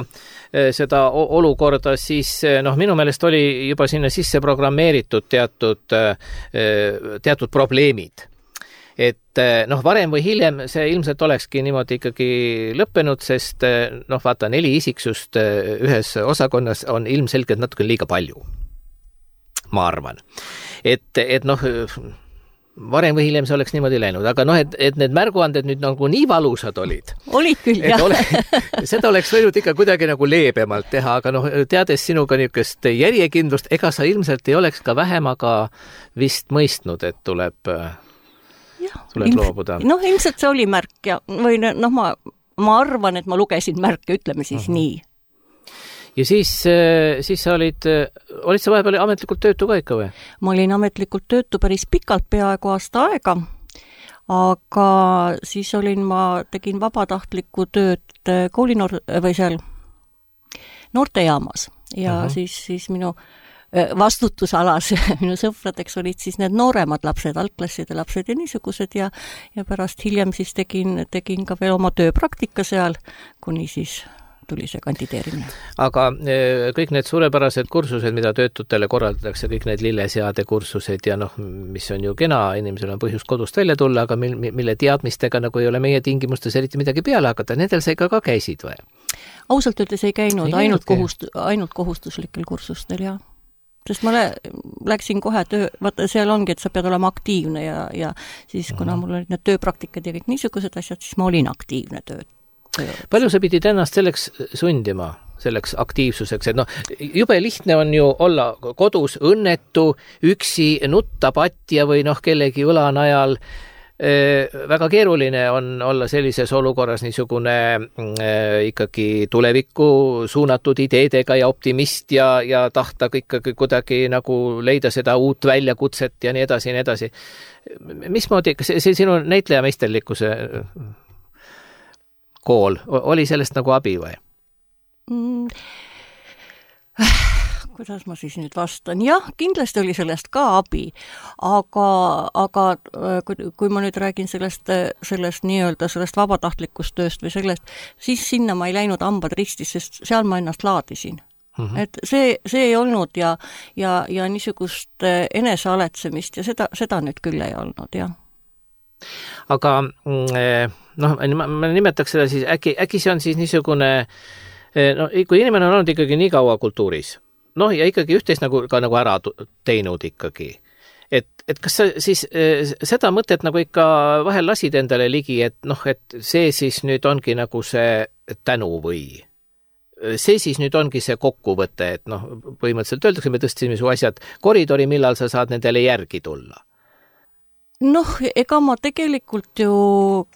seda olukorda, siis noh, minu meelest oli juba sinna sisse programmeeritud teatud, teatud probleemid. Et noh, varem või hiljem see ilmselt olekski niimoodi ikkagi lõppenud, sest noh, vaata, neli isiksust ühes osakonnas on ilmselgelt natuke liiga palju. Ma arvan. Et, et noh, varem või hiljem see oleks niimoodi läinud, aga noh, et, et need märguanded nüüd nagu nii valusad olid.
Olid küll, jah.
Ole, seda oleks võinud ikka kuidagi nagu leebemalt teha, aga noh, teades sinuga niisugust järjekindlust, ega sa ilmselt ei oleks ka vähem, aga vist mõistnud, et tuleb, ja, tuleb ilm, loobuda.
Noh, ilmselt see oli märk ja või noh, ma, ma arvan, et ma lugesin märke, ütleme siis uh-huh. nii.
Ja siis, siis sa olid, olid sa vahepeal ametlikult töötu ka ikka või?
Ma olin ametlikult töötu päris pikalt, peaaegu aasta aega, aga siis olin, ma tegin vabatahtlikku tööd koolinoor- või seal noortejaamas ja uh-huh. siis, siis minu vastutusalas minu sõpradeks olid siis need nooremad lapsed, algklasside lapsed ja niisugused ja, ja pärast hiljem siis tegin, tegin ka veel oma tööpraktika seal, kuni siis tuli see kandideerimine.
Aga kõik need suurepärased kursused, mida töötutele korraldatakse, kõik need lilleseade kursused ja noh, mis on ju kena, inimesel on põhjus kodust välja tulla, aga mille teadmistega nagu ei ole meie tingimustes eriti midagi peale hakata, nendel sa ikka ka käisid või?
Ausalt öeldes ei käinud, ei ainult, kohust, ainult kohustuslikel kursustel, jah. Sest ma lä- läksin kohe töö, vaata seal ongi, et sa pead olema aktiivne ja, ja siis kuna mul olid need tööpraktikad ja kõik niisugused asjad, siis ma olin aktiivne tööd.
Palju sa pidid ennast selleks sundima, selleks aktiivsuseks, et noh, jube lihtne on ju olla kodus õnnetu, üksi, nutta patja või noh, kellegi õla najal. Väga keeruline on olla sellises olukorras niisugune ikkagi tulevikku suunatud ideedega ja optimist ja, ja tahta ikkagi kuidagi nagu leida seda uut väljakutset ja nii edasi ja nii edasi. Mismoodi, kas see sinu näitleja meisterlikkuse kool, oli sellest nagu abi või?
Mm. Kuidas ma siis nüüd vastan? Jah, kindlasti oli sellest ka abi, aga, aga kui, kui ma nüüd räägin sellest, sellest nii-öelda sellest vabatahtlikust tööst või sellest, siis sinna ma ei läinud hambad ristis, sest seal ma ennast laadisin. Mm-hmm. Et see, see ei olnud ja, ja, ja niisugust enesealetsemist ja seda, seda nüüd küll ei olnud, jah.
Aga noh, ma nimetaks seda siis, äkki, äkki see on siis niisugune, no kui inimene on olnud ikkagi nii kaua kultuuris, noh ja ikkagi üht-teist nagu, ka nagu ära teinud ikkagi, et, et kas sa siis seda mõtet nagu ikka vahel lasid endale ligi, et noh, et see siis nüüd ongi nagu see tänu või see siis nüüd ongi see kokkuvõte, et noh, põhimõtteliselt öeldakse, me tõstsime su asjad koridori, millal sa saad nendele järgi tulla?
Noh, ega ma tegelikult ju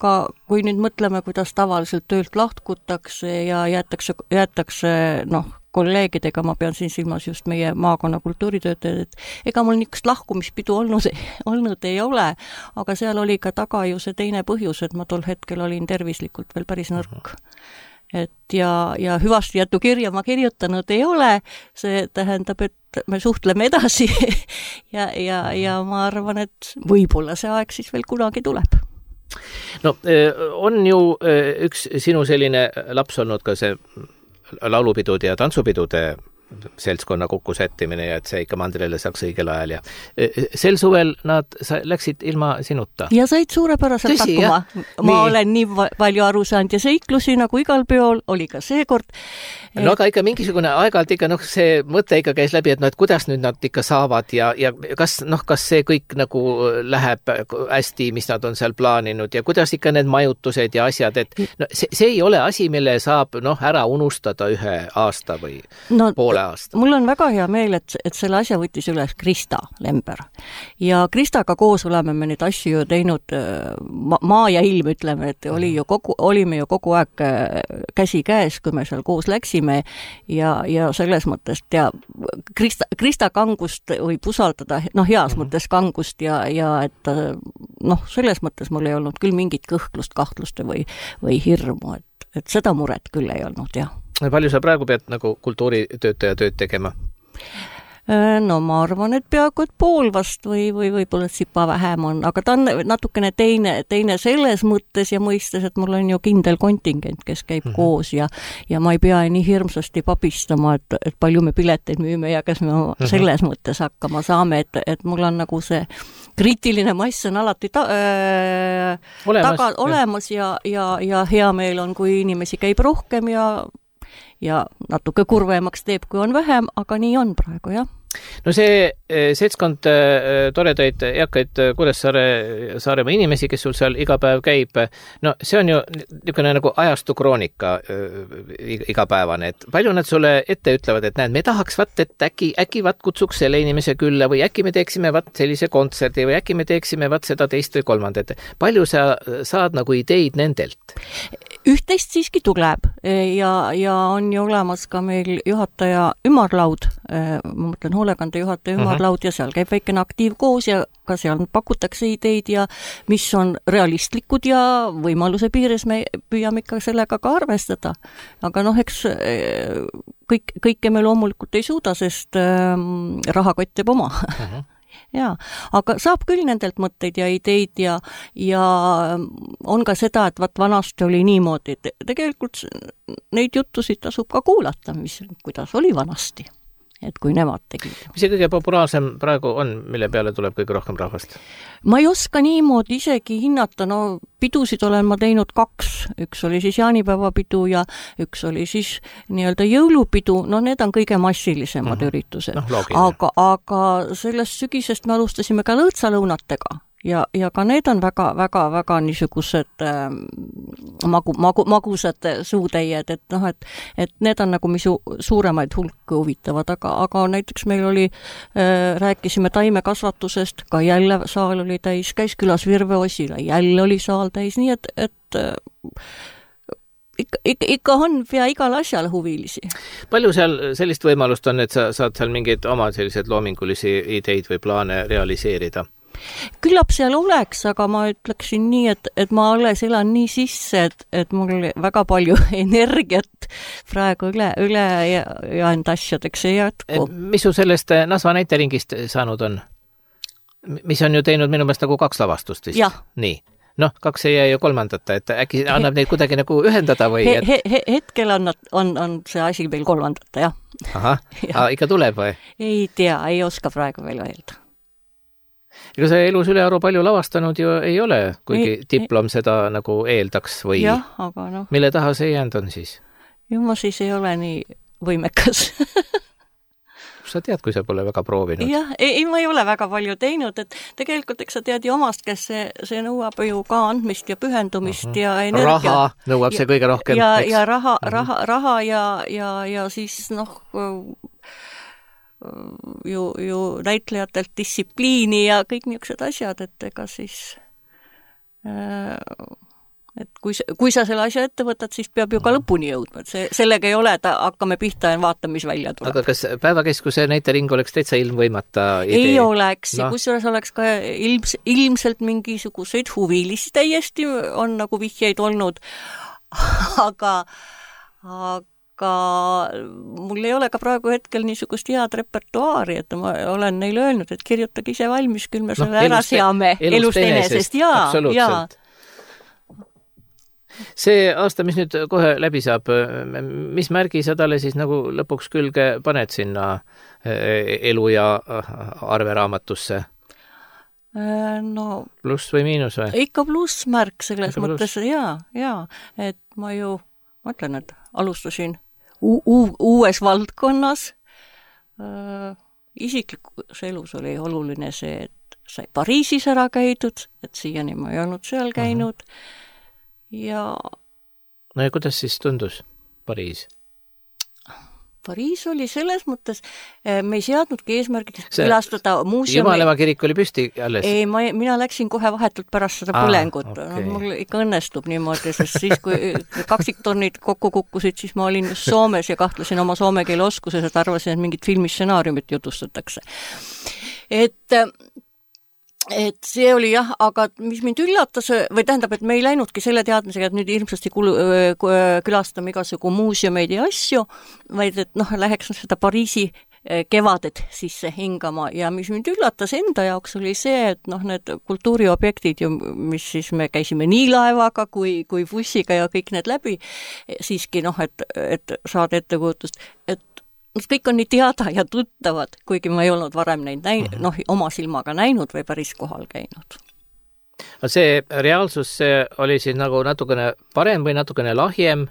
ka, kui nüüd mõtleme, kuidas tavaliselt töölt lahkutakse ja jäetakse, jäetakse noh, kolleegidega, ma pean siin silmas just meie maakonna kultuuritöötajad, et ega mul niisugust lahkumispidu olnud, olnud ei ole, aga seal oli ka taga ju see teine põhjus, et ma tol hetkel olin tervislikult veel päris nõrk. Et ja, ja hüvasti jätu kirja ma kirjutanud ei ole, see tähendab, et me suhtleme edasi ja, ja, ja ma arvan, et võib-olla see aeg siis veel kunagi tuleb.
No on ju üks sinu selline laps olnud ka see laulupidude ja tantsupidude seltskonna kokkusättimine ja et see ikka mandrile saaks õigel ajal ja sel suvel nad sa, läksid ilma sinuta.
Ja said suurepäraselt Tõsi, hakkuma. Ma nii. Olen nii palju aru saanud ja seiklusi nagu igal peol oli ka seekord.
No aga ikka mingisugune aeg-ajalt ikka noh, see mõte ikka käis läbi, et noh, et kuidas nüüd nad ikka saavad ja, ja kas noh, kas see kõik nagu läheb hästi, mis nad on seal plaaninud ja kuidas ikka need majutused ja asjad, et no, see, see ei ole asi, mille saab noh, ära unustada ühe aasta või no, poole aasta.
Mul on väga hea meel, et, et selle asja võttis üles Krista Lember ja Kristaga koos oleme me neid asju ju teinud ma, maa ja ilm, ütleme, et oli ju kogu, olime ju kogu aeg käsi käes, kui me seal koos läksime ja, ja selles mõttes ja Krista, Krista kangust võib usaldada, noh heas mm-hmm. mõttes kangust ja, ja et noh, selles mõttes mul ei olnud küll mingit kõhklust, kahtlust või, või hirmu, et, et seda muret küll ei olnud, jah.
Palju sa praegu pead nagu kultuuritöötaja tööd tegema?
No ma arvan, et peaaegu et pool vast või, või võib-olla sipa vähem on, aga ta on natukene teine, teine selles mõttes ja mõistes, et mul on ju kindel kontingent, kes käib mm-hmm. koos ja, ja ma ei pea nii hirmsasti papistama, et, et palju me pileteid müüme ja kas me mm-hmm. selles mõttes hakkama saame, et, et mul on nagu see kriitiline mass on alati ta, äh, olemas, taga, olemas ja, ja, ja hea meel on, kui inimesi käib rohkem ja ja natuke kurvemaks teeb, kui on vähem, aga nii on praegu, jah.
No see seltskond toredaid eakaid Kuressaare Saaremaa inimesi, kes sul seal iga päev käib, no see on ju niisugune nagu ajastu kroonika igapäevane, et palju nad sulle ette ütlevad, et näed, me tahaks vaat, et äkki, äkki vaat kutsuks selle inimese külla või äkki me teeksime vaat sellise kontserdi või äkki me teeksime vaat seda teist või kolmandat. Palju sa saad nagu ideid nendelt?
Üht-teist siiski tuleb ja, ja on ju olemas ka meil juhataja ümarlaud, ma mõtlen hoolekande juhataja ümarlaud ja seal käib väikene aktiivkoos ja ka seal pakutakse ideid ja mis on realistlikud ja võimaluse piires me püüame ikka sellega ka arvestada. Aga noh, eks kõik, kõike me loomulikult ei suuda, sest ähm, rahakott teeb oma. Uh-huh. Jaa, aga saab küll nendelt mõtteid ja ideid ja, ja on ka seda, et vaat vanasti oli niimoodi, et tegelikult neid juttusid tasub ka kuulata, mis, kuidas oli vanasti, et kui nemad tegid.
Mis see kõige populaarsem praegu on, mille peale tuleb kõige rohkem rahvast?
Ma ei oska niimoodi isegi hinnata, no pidusid olen ma teinud kaks, üks oli siis jaanipäevapidu ja üks oli siis nii-öelda jõulupidu, no need on kõige massilisemad mm-hmm. üritused. No, aga, aga sellest sügisest me alustasime ka lõõtsalõunatega ja, ja ka need on väga, väga, väga niisugused äh, magu, magu, magusad suutäied, et noh, et, et need on nagu misu suuremaid hulka huvitavad, aga, aga näiteks meil oli, äh, rääkisime taimekasvatusest, ka jälle saal oli täis, käis külas Virve Osila, jälle oli saal täis, nii et, et äh, ikka, ikka, ikka on pea igal asjal huvilisi.
Palju seal sellist võimalust on, et sa saad seal mingeid oma sellised loomingulisi ideid või plaane realiseerida?
Küllap seal oleks, aga ma ütleksin nii, et, et ma alles elan nii sisse, et, et mul väga palju energiat praegu üle, üle ja, ja enda asjadeks ei jätku.
Mis su sellest Nasva näiteringist saanud on? Mis on ju teinud minu meelest nagu kaks lavastust vist?
Jah.
Nii. Noh, kaks ei jää ju kolmandata, et äkki annab neid kuidagi nagu ühendada või?
Et... He, he, hetkel on, on, on see asi veel kolmandata, jah.
Ahah, ja. Ikka tuleb või?
Ei tea, ei oska praegu veel öelda.
Ega see elus ülearu palju lavastanud ju ei ole, kuigi ei, diplom seda nagu eeldaks või
jah, aga noh.
Mille taha see jäänud on siis?
Ju ma siis ei ole nii võimekas.
Sa tead, kui sa pole väga proovinud?
Jah, ei, ma ei ole väga palju teinud, et tegelikult eks sa tead ju omast, kes see, see nõuab ju ka andmist ja pühendumist uh-huh. ja energia.
Raha nõuab
ja,
see kõige rohkem.
Ja, ja raha, uh-huh. raha, raha ja, ja, ja siis noh... ju, ju näitlejatelt distsipliini ja kõik niisugused asjad, et ega siis et kui, kui sa selle asja ette võtad, siis peab ju ka lõpuni jõudma, et see, sellega ei ole, et hakkame pihta ja vaatame, mis välja tuleb.
Aga kas päevakeskuse näitering oleks täitsa ilmvõimata idee?
Ei oleks, no. Kusjuures oleks ka ilms, ilmselt mingisuguseid huvilisi täiesti on nagu vihjeid olnud, aga aga aga mul ei ole ka praegu hetkel niisugust head repertuaari, et ma olen neile öelnud, et kirjutage ise valmis, küll me selle no, ära seame elust enesest. Jaa, jaa.
See aasta, mis nüüd kohe läbi saab, mis märgi sa talle siis nagu lõpuks külge paned sinna elu- ja arveraamatusse?
No,
pluss või miinus või?
Ikka plussmärk selles ikka mõttes, plus. jaa, jaa, et ma ju mõtlen, et alustasin U- u- uues valdkonnas. Äh, isiklikus elus oli oluline see, et sai Pariisis ära käidud, et siiani ma ei olnud seal käinud. Uh-huh. Ja...
No ja kuidas siis tundus Pariis?
Pariis oli selles mõttes, me ei seadnudki eesmärgiks külastada muuseumi.
Jumaleva kirik oli püsti alles?
Ei, ma, mina läksin kohe vahetult pärast seda põlengut. Ah, okay. No, mul ikka õnnestub niimoodi, sest siis, kui kaksiktornid kokku kukkusid, siis ma olin just Soomes ja kahtlesin oma soome keele oskuses, et arvasin, et mingit filmistsenaariumit jutustatakse. Et... Et see oli jah, aga mis mind üllatas, või tähendab, et me ei läinudki selle teadmisega, et nüüd ilmsesti kulu, külastame igasugu muuseumeid ja asju, vaid et noh, läheks seda Pariisi kevadet sisse hingama ja mis mind üllatas enda jaoks oli see, et noh, need kultuuriobjektid ju, mis siis me käisime nii laevaga kui, kui bussiga ja kõik need läbi, siiski noh, et, et saada ettekujutust, et kõik on nii teada ja tuttavad, kuigi ma ei olnud varem neid näinud, noh, oma silmaga näinud või päris kohal käinud.
See reaalsus see oli siis nagu natukene parem või natukene lahjem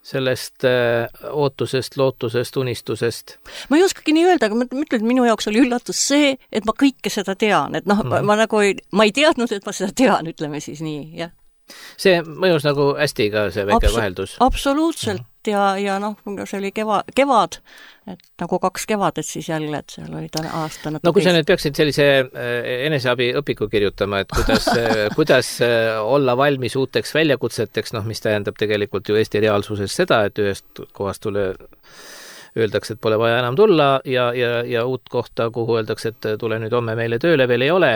sellest äh, ootusest, lootusest, unistusest?
Ma ei oskagi nii öelda, aga ma ütlen, et minu jaoks oli üllatus see, et ma kõike seda tean, et noh, mm. ma nagu ei, ma ei teadnud, et ma seda tean, ütleme siis nii, jah.
See mõjus nagu hästi ka see väike Abs- vaheldus?
Absoluutselt mm. ja, ja noh, see oli keva, kevad, et nagu kaks kevadet siis jälle, et seal oli ta aasta natuke.
No kui sa nüüd peaksid sellise eneseabi õpiku kirjutama, et kuidas, kuidas olla valmis uuteks väljakutseteks, noh, mis tähendab tegelikult ju Eesti reaalsuses seda, et ühest kohast tule öeldakse, et pole vaja enam tulla ja, ja, ja uut kohta, kuhu öeldakse, et tule nüüd homme meile tööle veel ei ole.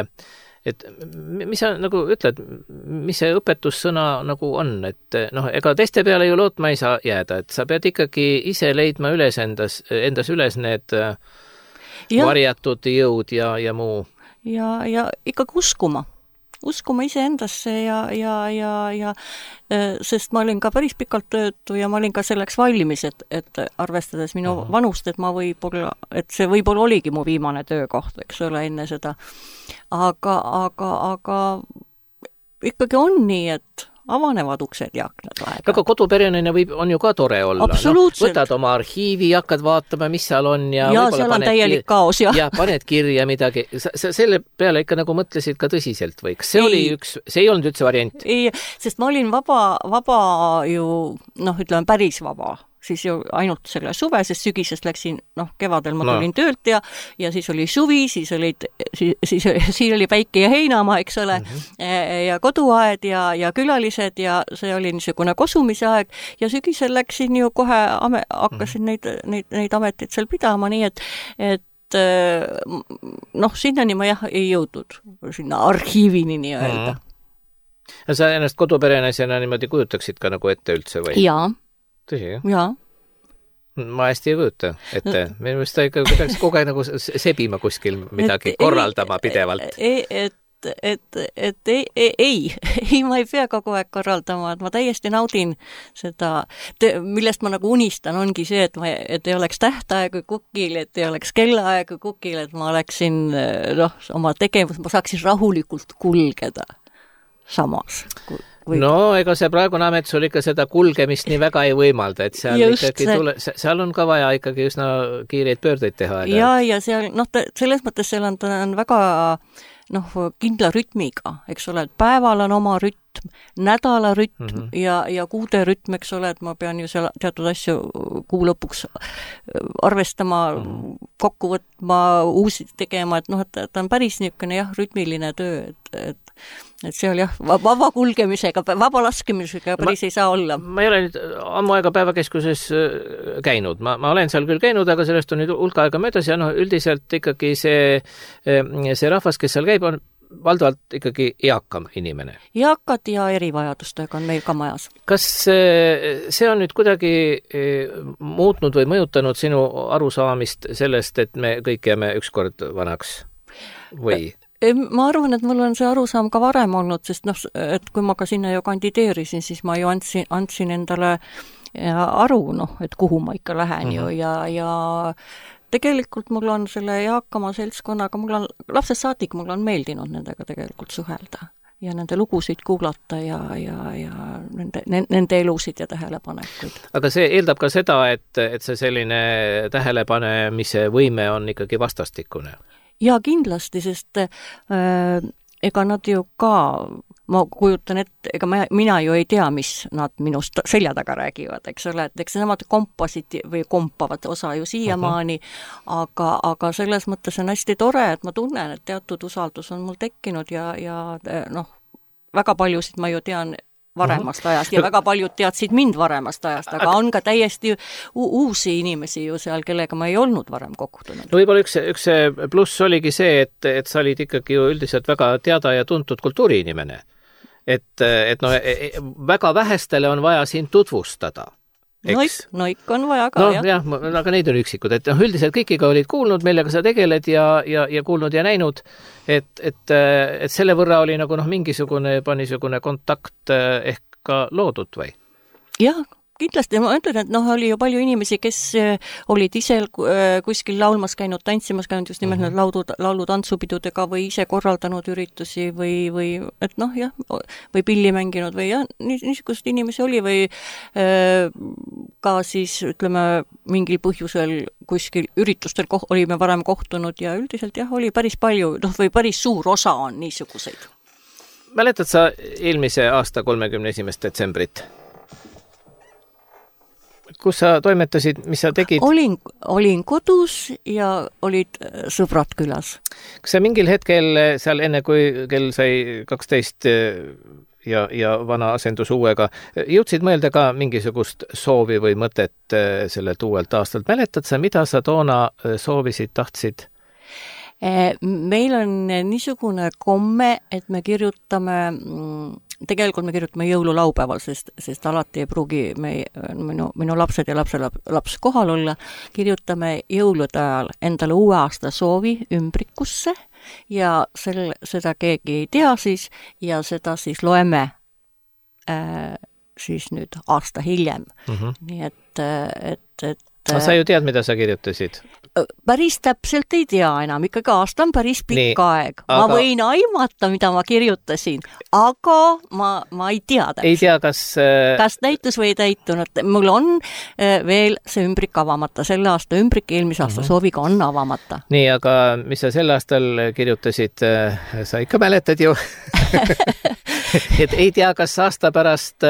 Et mis sa nagu ütled, mis see õpetussõna nagu on, et noh, ega teiste peale ju lootma ei saa jääda, et sa pead ikkagi ise leidma üles endas, endas üles need ja. varjatud jõud ja, ja muu.
Ja, ja ikkagi uskuma. Uskuma iseendasse ja, ja, ja, ja sest ma olin ka päris pikalt töötu ja ma olin ka selleks valmis, et, et arvestades minu Aha. vanust, et ma võib-olla, et see võib-olla oligi mu viimane töökoht, eks ole, enne seda. Aga, aga, aga ikkagi on nii, et avanevad uksed ja aknad aega.
Aga kodupereneline võib, on ju ka tore olla.
Absoluutselt.
No, võtad oma arhiivi, hakkad vaatama, mis seal on. Ja,
ja seal on täielik kaos. Ja.
ja paned kirja midagi. Sa, sa selle peale ikka nagu mõtlesid ka tõsiselt või? See ei. oli üks, see ei olnud üldse variant?
Ei, sest ma olin vaba, vaba ju, noh, ütleme päris vaba. Siis ju ainult selle suve, sest sügisest läksin, noh, kevadel ma tulin no. töölt ja, ja siis oli suvi, siis, olid, siis, siis, siis oli päike ja heinamaa, eks ole, mm-hmm. ja koduaed ja, ja külalised ja see oli niisugune kosumise aeg ja sügisel läksin ju kohe, ame, hakkasin mm-hmm. neid, neid, neid ameteid seal pidama, nii et, et noh, sinnani ma jah ei jõudnud, sinna arhiivini nii öelda.
Mm-hmm. Ja sa ennast koduperenaisena niimoodi kujutaksid ka nagu ette üldse või?
Jaa.
Tõsi, jah?
Jaa.
Ma hästi ei kujuta ette. Minu meelest ta ikka peaks kogu aeg nagu sebima kuskil midagi, et, korraldama ei, pidevalt.
Ei, et, et, et ei, ei, ei, ei, ma ei pea kogu aeg korraldama, et ma täiesti naudin seda, millest ma nagu unistan, ongi see, et, ma, et ei oleks tähtaegu kukil, et ei oleks kellaaegu kukil, et ma oleksin, noh, oma tegevus, ma saaksin rahulikult kulgeda samas. Või...
No, ega see praegune amet sul ikka seda kulgemist nii väga ei võimalda, et seal Just ikkagi see... tule, seal on ka vaja ikkagi üsna kiireid pöördeid teha.
Ja, ja seal, noh, selles mõttes seal on, ta on väga, noh, kindla rütmiga, eks ole, et päeval on oma rütm, nädala rütm mm -hmm. ja, ja kuude rütm, eks ole, et ma pean ju seal teatud asju kuu lõpuks arvestama, mm -hmm. kokku võtma, uusi tegema, et noh, et ta on päris niisugune jah, rütmiline töö, et, et et seal jah, vaba kulgemisega, vaba laskemisega päris ma, ei saa olla.
Ma ei ole nüüd ammu aega päevakeskuses käinud. Ma, ma olen seal küll käinud, aga sellest on nüüd hulka aega möödas ja noh, üldiselt ikkagi see, see rahvas, kes seal käib, on valdavalt ikkagi eakam inimene.
Eakad ja erivajadustega on meil ka majas.
Kas see on nüüd kuidagi muutnud või mõjutanud sinu arusaamist sellest, et me kõik jääme ükskord vanaks või?
Ma arvan, et mul on see arusaam ka varem olnud, sest noh, et kui ma ka sinna ju kandideerisin, siis ma ju andsin, andsin endale aru, noh, et kuhu ma ikka lähen mm-hmm. ju ja, ja tegelikult mul on selle eakama seltskonnaga, mul on lapsest saadik, mul on meeldinud nendega tegelikult suhelda ja nende lugusid kuulata ja, ja, ja nende, nende elusid ja tähelepanekuid.
Aga see eeldab ka seda, et, et see selline tähelepanemise võime on ikkagi vastastikune?
Ja kindlasti, sest äh, ega nad ju ka, ma kujutan ette, ega ma, mina ju ei tea, mis nad minust selja taga räägivad, eks ole, et eks nemad kompasid või kompavad osa ju siiamaani, uh-huh. aga, aga selles mõttes on hästi tore, et ma tunnen, et teatud usaldus on mul tekkinud ja, ja noh, väga paljusid ma ju tean varemast ajast ja väga paljud teadsid mind varemast ajast, aga on ka täiesti u- uusi inimesi ju seal, kellega ma ei olnud varem kohtunud.
No võib-olla üks, üks pluss oligi see, et, et sa olid ikkagi ju üldiselt väga teada ja tuntud kultuuriinimene. Et, et no, väga vähestele on vaja sind tutvustada.
Noik, noik on vaja ka,
no,
jah.
jah, aga neid on üksikud, et noh, üldiselt kõikiga olid kuulnud, millega sa tegeled ja, ja, ja kuulnud ja näinud, et, et, et selle võrra oli nagu noh, mingisugune juba niisugune kontakt ehk ka loodud või?
Jah, kindlasti ma ütlen, et noh, oli ju palju inimesi, kes olid ise kuskil laulmas käinud, tantsimas käinud just nimelt mm-hmm. laulu, laulu tantsupidudega või ise korraldanud üritusi või, või et noh, jah, või pilli mänginud või jah, niisugust inimesi oli või äh, ka siis ütleme mingil põhjusel kuskil üritustel koh- olime varem kohtunud ja üldiselt jah, oli päris palju, noh või päris suur osa on niisuguseid.
Mäletad sa eelmise aasta kolmekümne esimest detsembrit? Kus sa toimetasid, mis sa tegid?
Olin, olin kodus ja olid sõbrad külas.
Kas sa mingil hetkel seal enne, kui kell sai kaksteist ja, ja vana asendus uuega, jõudsid mõelda ka mingisugust soovi või mõtet sellelt uuelt aastalt? Mäletad sa, mida sa toona soovisid, tahtsid?
Meil on niisugune komme, et me kirjutame tegelikult me kirjutame jõululaupäeval, sest, sest alati ei pruugi me, minu, minu lapsed ja lapse laps kohal olla, kirjutame jõulude ajal endale uue aasta soovi ümbrikusse ja sel, seda keegi ei tea siis ja seda siis loeme äh, siis nüüd aasta hiljem. Mm-hmm. Nii et, et, et
no, sa ju tead, mida sa kirjutasid?
Päris täpselt ei tea enam, ikkagi aasta on päris pikk Nii, aeg. Ma aga... võin aimata, mida ma kirjutasin, aga ma, ma ei tea täpselt.
Ei tea, kas...
Kas täitus või ei täitunud. Mul on veel see ümbrik avamata. Selle aasta ümbrik eelmise aasta uh-huh. sooviga on avamata.
Nii, aga mis sa sel aastal kirjutasid, sa ikka mäletad ju? Et ei tea, kas aasta pärast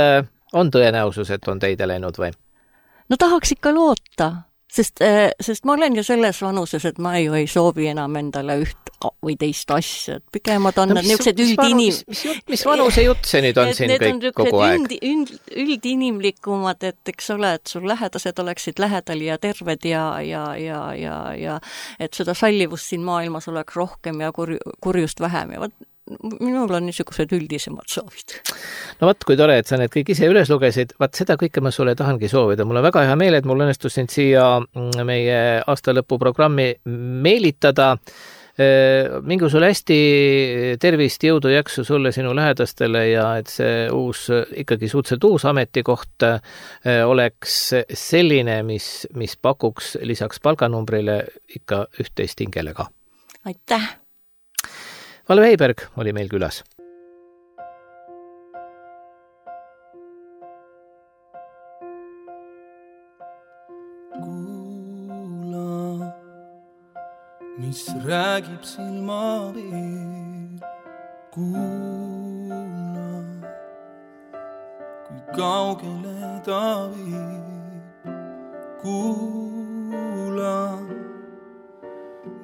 on tõenäosus, et on teide läinud või?
No tahaks ikka loota. Sest, sest ma olen ju selles vanuses, et ma ju ei soovi enam endale üht või teist asja. Pikemad on no, mis, niisugused üldinim...
Mis, mis, mis vanuse jutt see nüüd on siin kõik kogu aeg?
Üld, üld, üldinimlikumad, et eks ole, et sul lähedased oleksid lähedal ja terved ja, ja, ja, ja, ja et seda sallivust siin maailmas oleks rohkem ja kur, kurjust vähem ja võt, minul on niisugused üldisemad soovid.
No vaat, kui tore, et sa need kõik ise üles lugesid, vaat seda kõike ma sulle tahangi soovida. Mul on väga hea meel, et mul õnnestus sind siia meie aastalõpuprogrammi meelitada. Mingu sulle hästi tervist, jõudu, jaksu sulle, sinu lähedastele ja et see uus, ikkagi suhteliselt uus ametikoht oleks selline, mis, mis pakuks lisaks palganumbrile ikka üht-teist hingele ka.
Aitäh!
Valve Heiberg oli meil külas.
Kuula, mis räägib silmaveel. Kuula, kui kaugele ta viib. Kuula,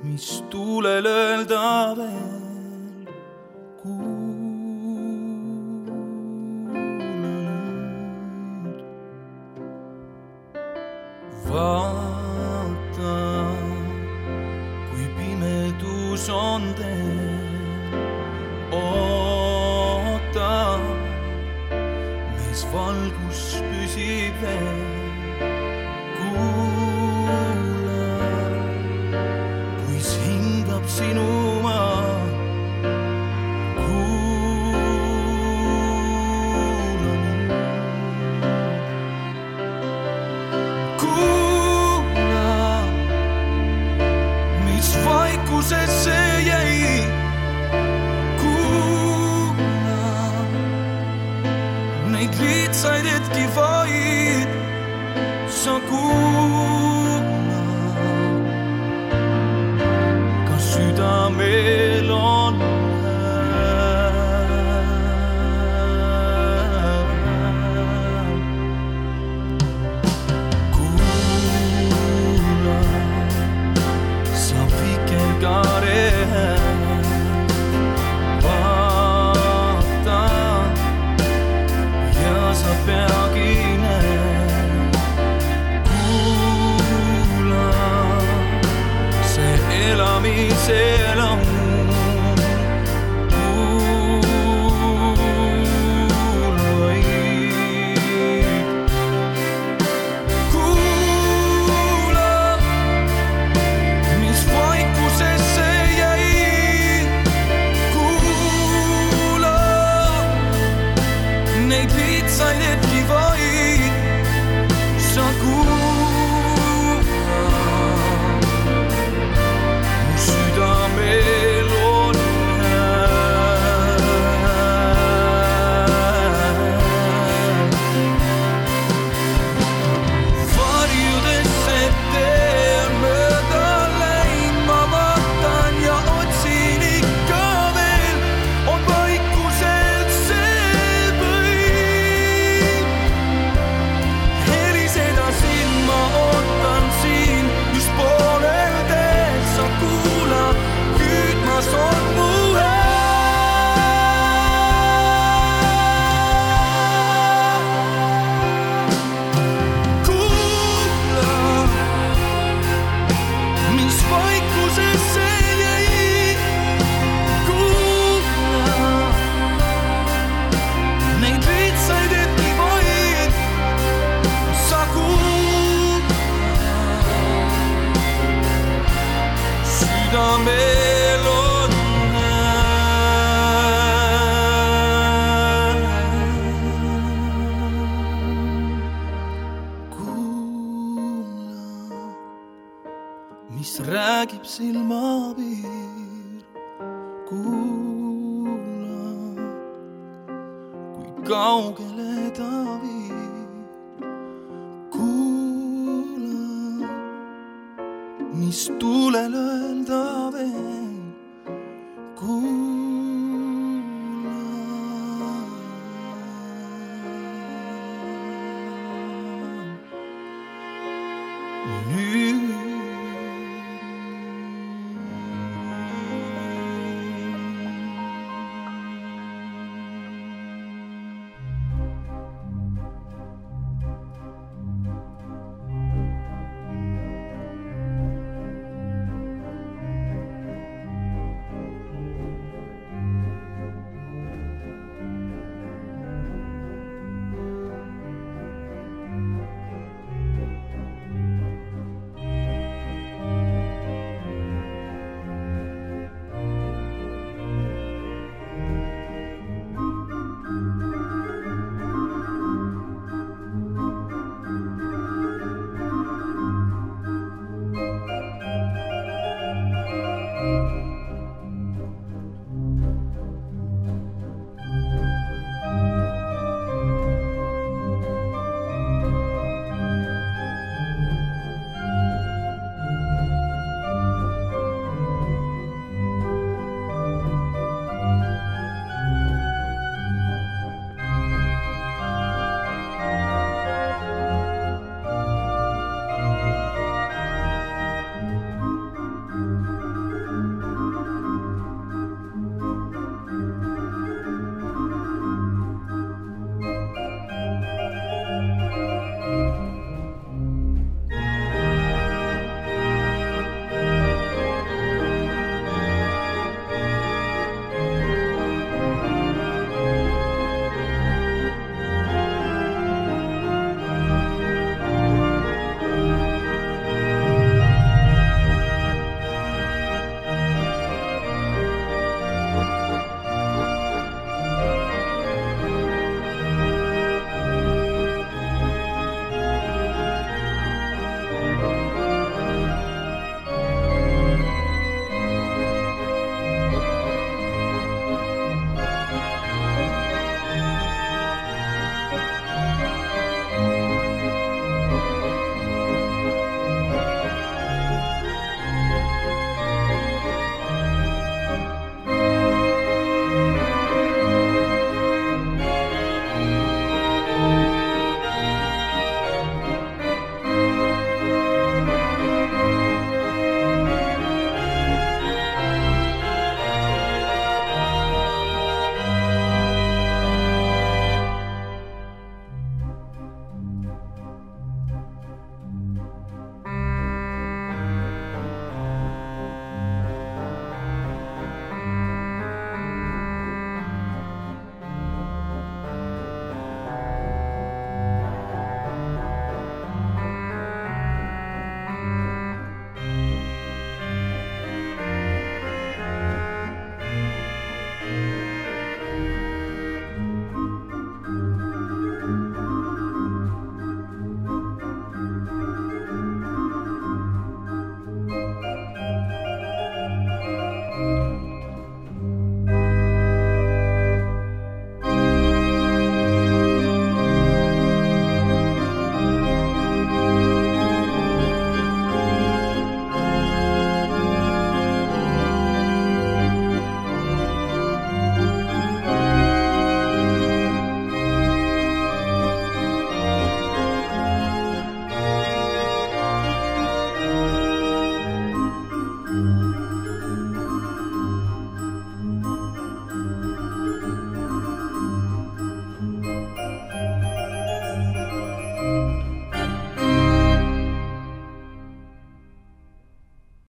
mis tuulel öelda veel. Vaata, kui pimedus on teel. Oota, mees valgus püsib veel. Kuula, kuis hingab sinu maa. Vaikusesse jäi. Kuula, neid lihtsaid hetki vaid sa kuula. Kas südamel on said etki vaid sa kuula mu südamel on varjudesse tee on mööda läin ma vaatan ja otsin ikka veel on vaikuselt see põim heliseda siin ma ootan siin just poolel teel sa kuula hüüdmas on mu kuula mis vaikusesse jäi kuula neid lihtsaid hetki vaid sa kuula südamel on kuula mis räägib silmapiir kuula kui kaugele ta viib kuula mis tuulel öelda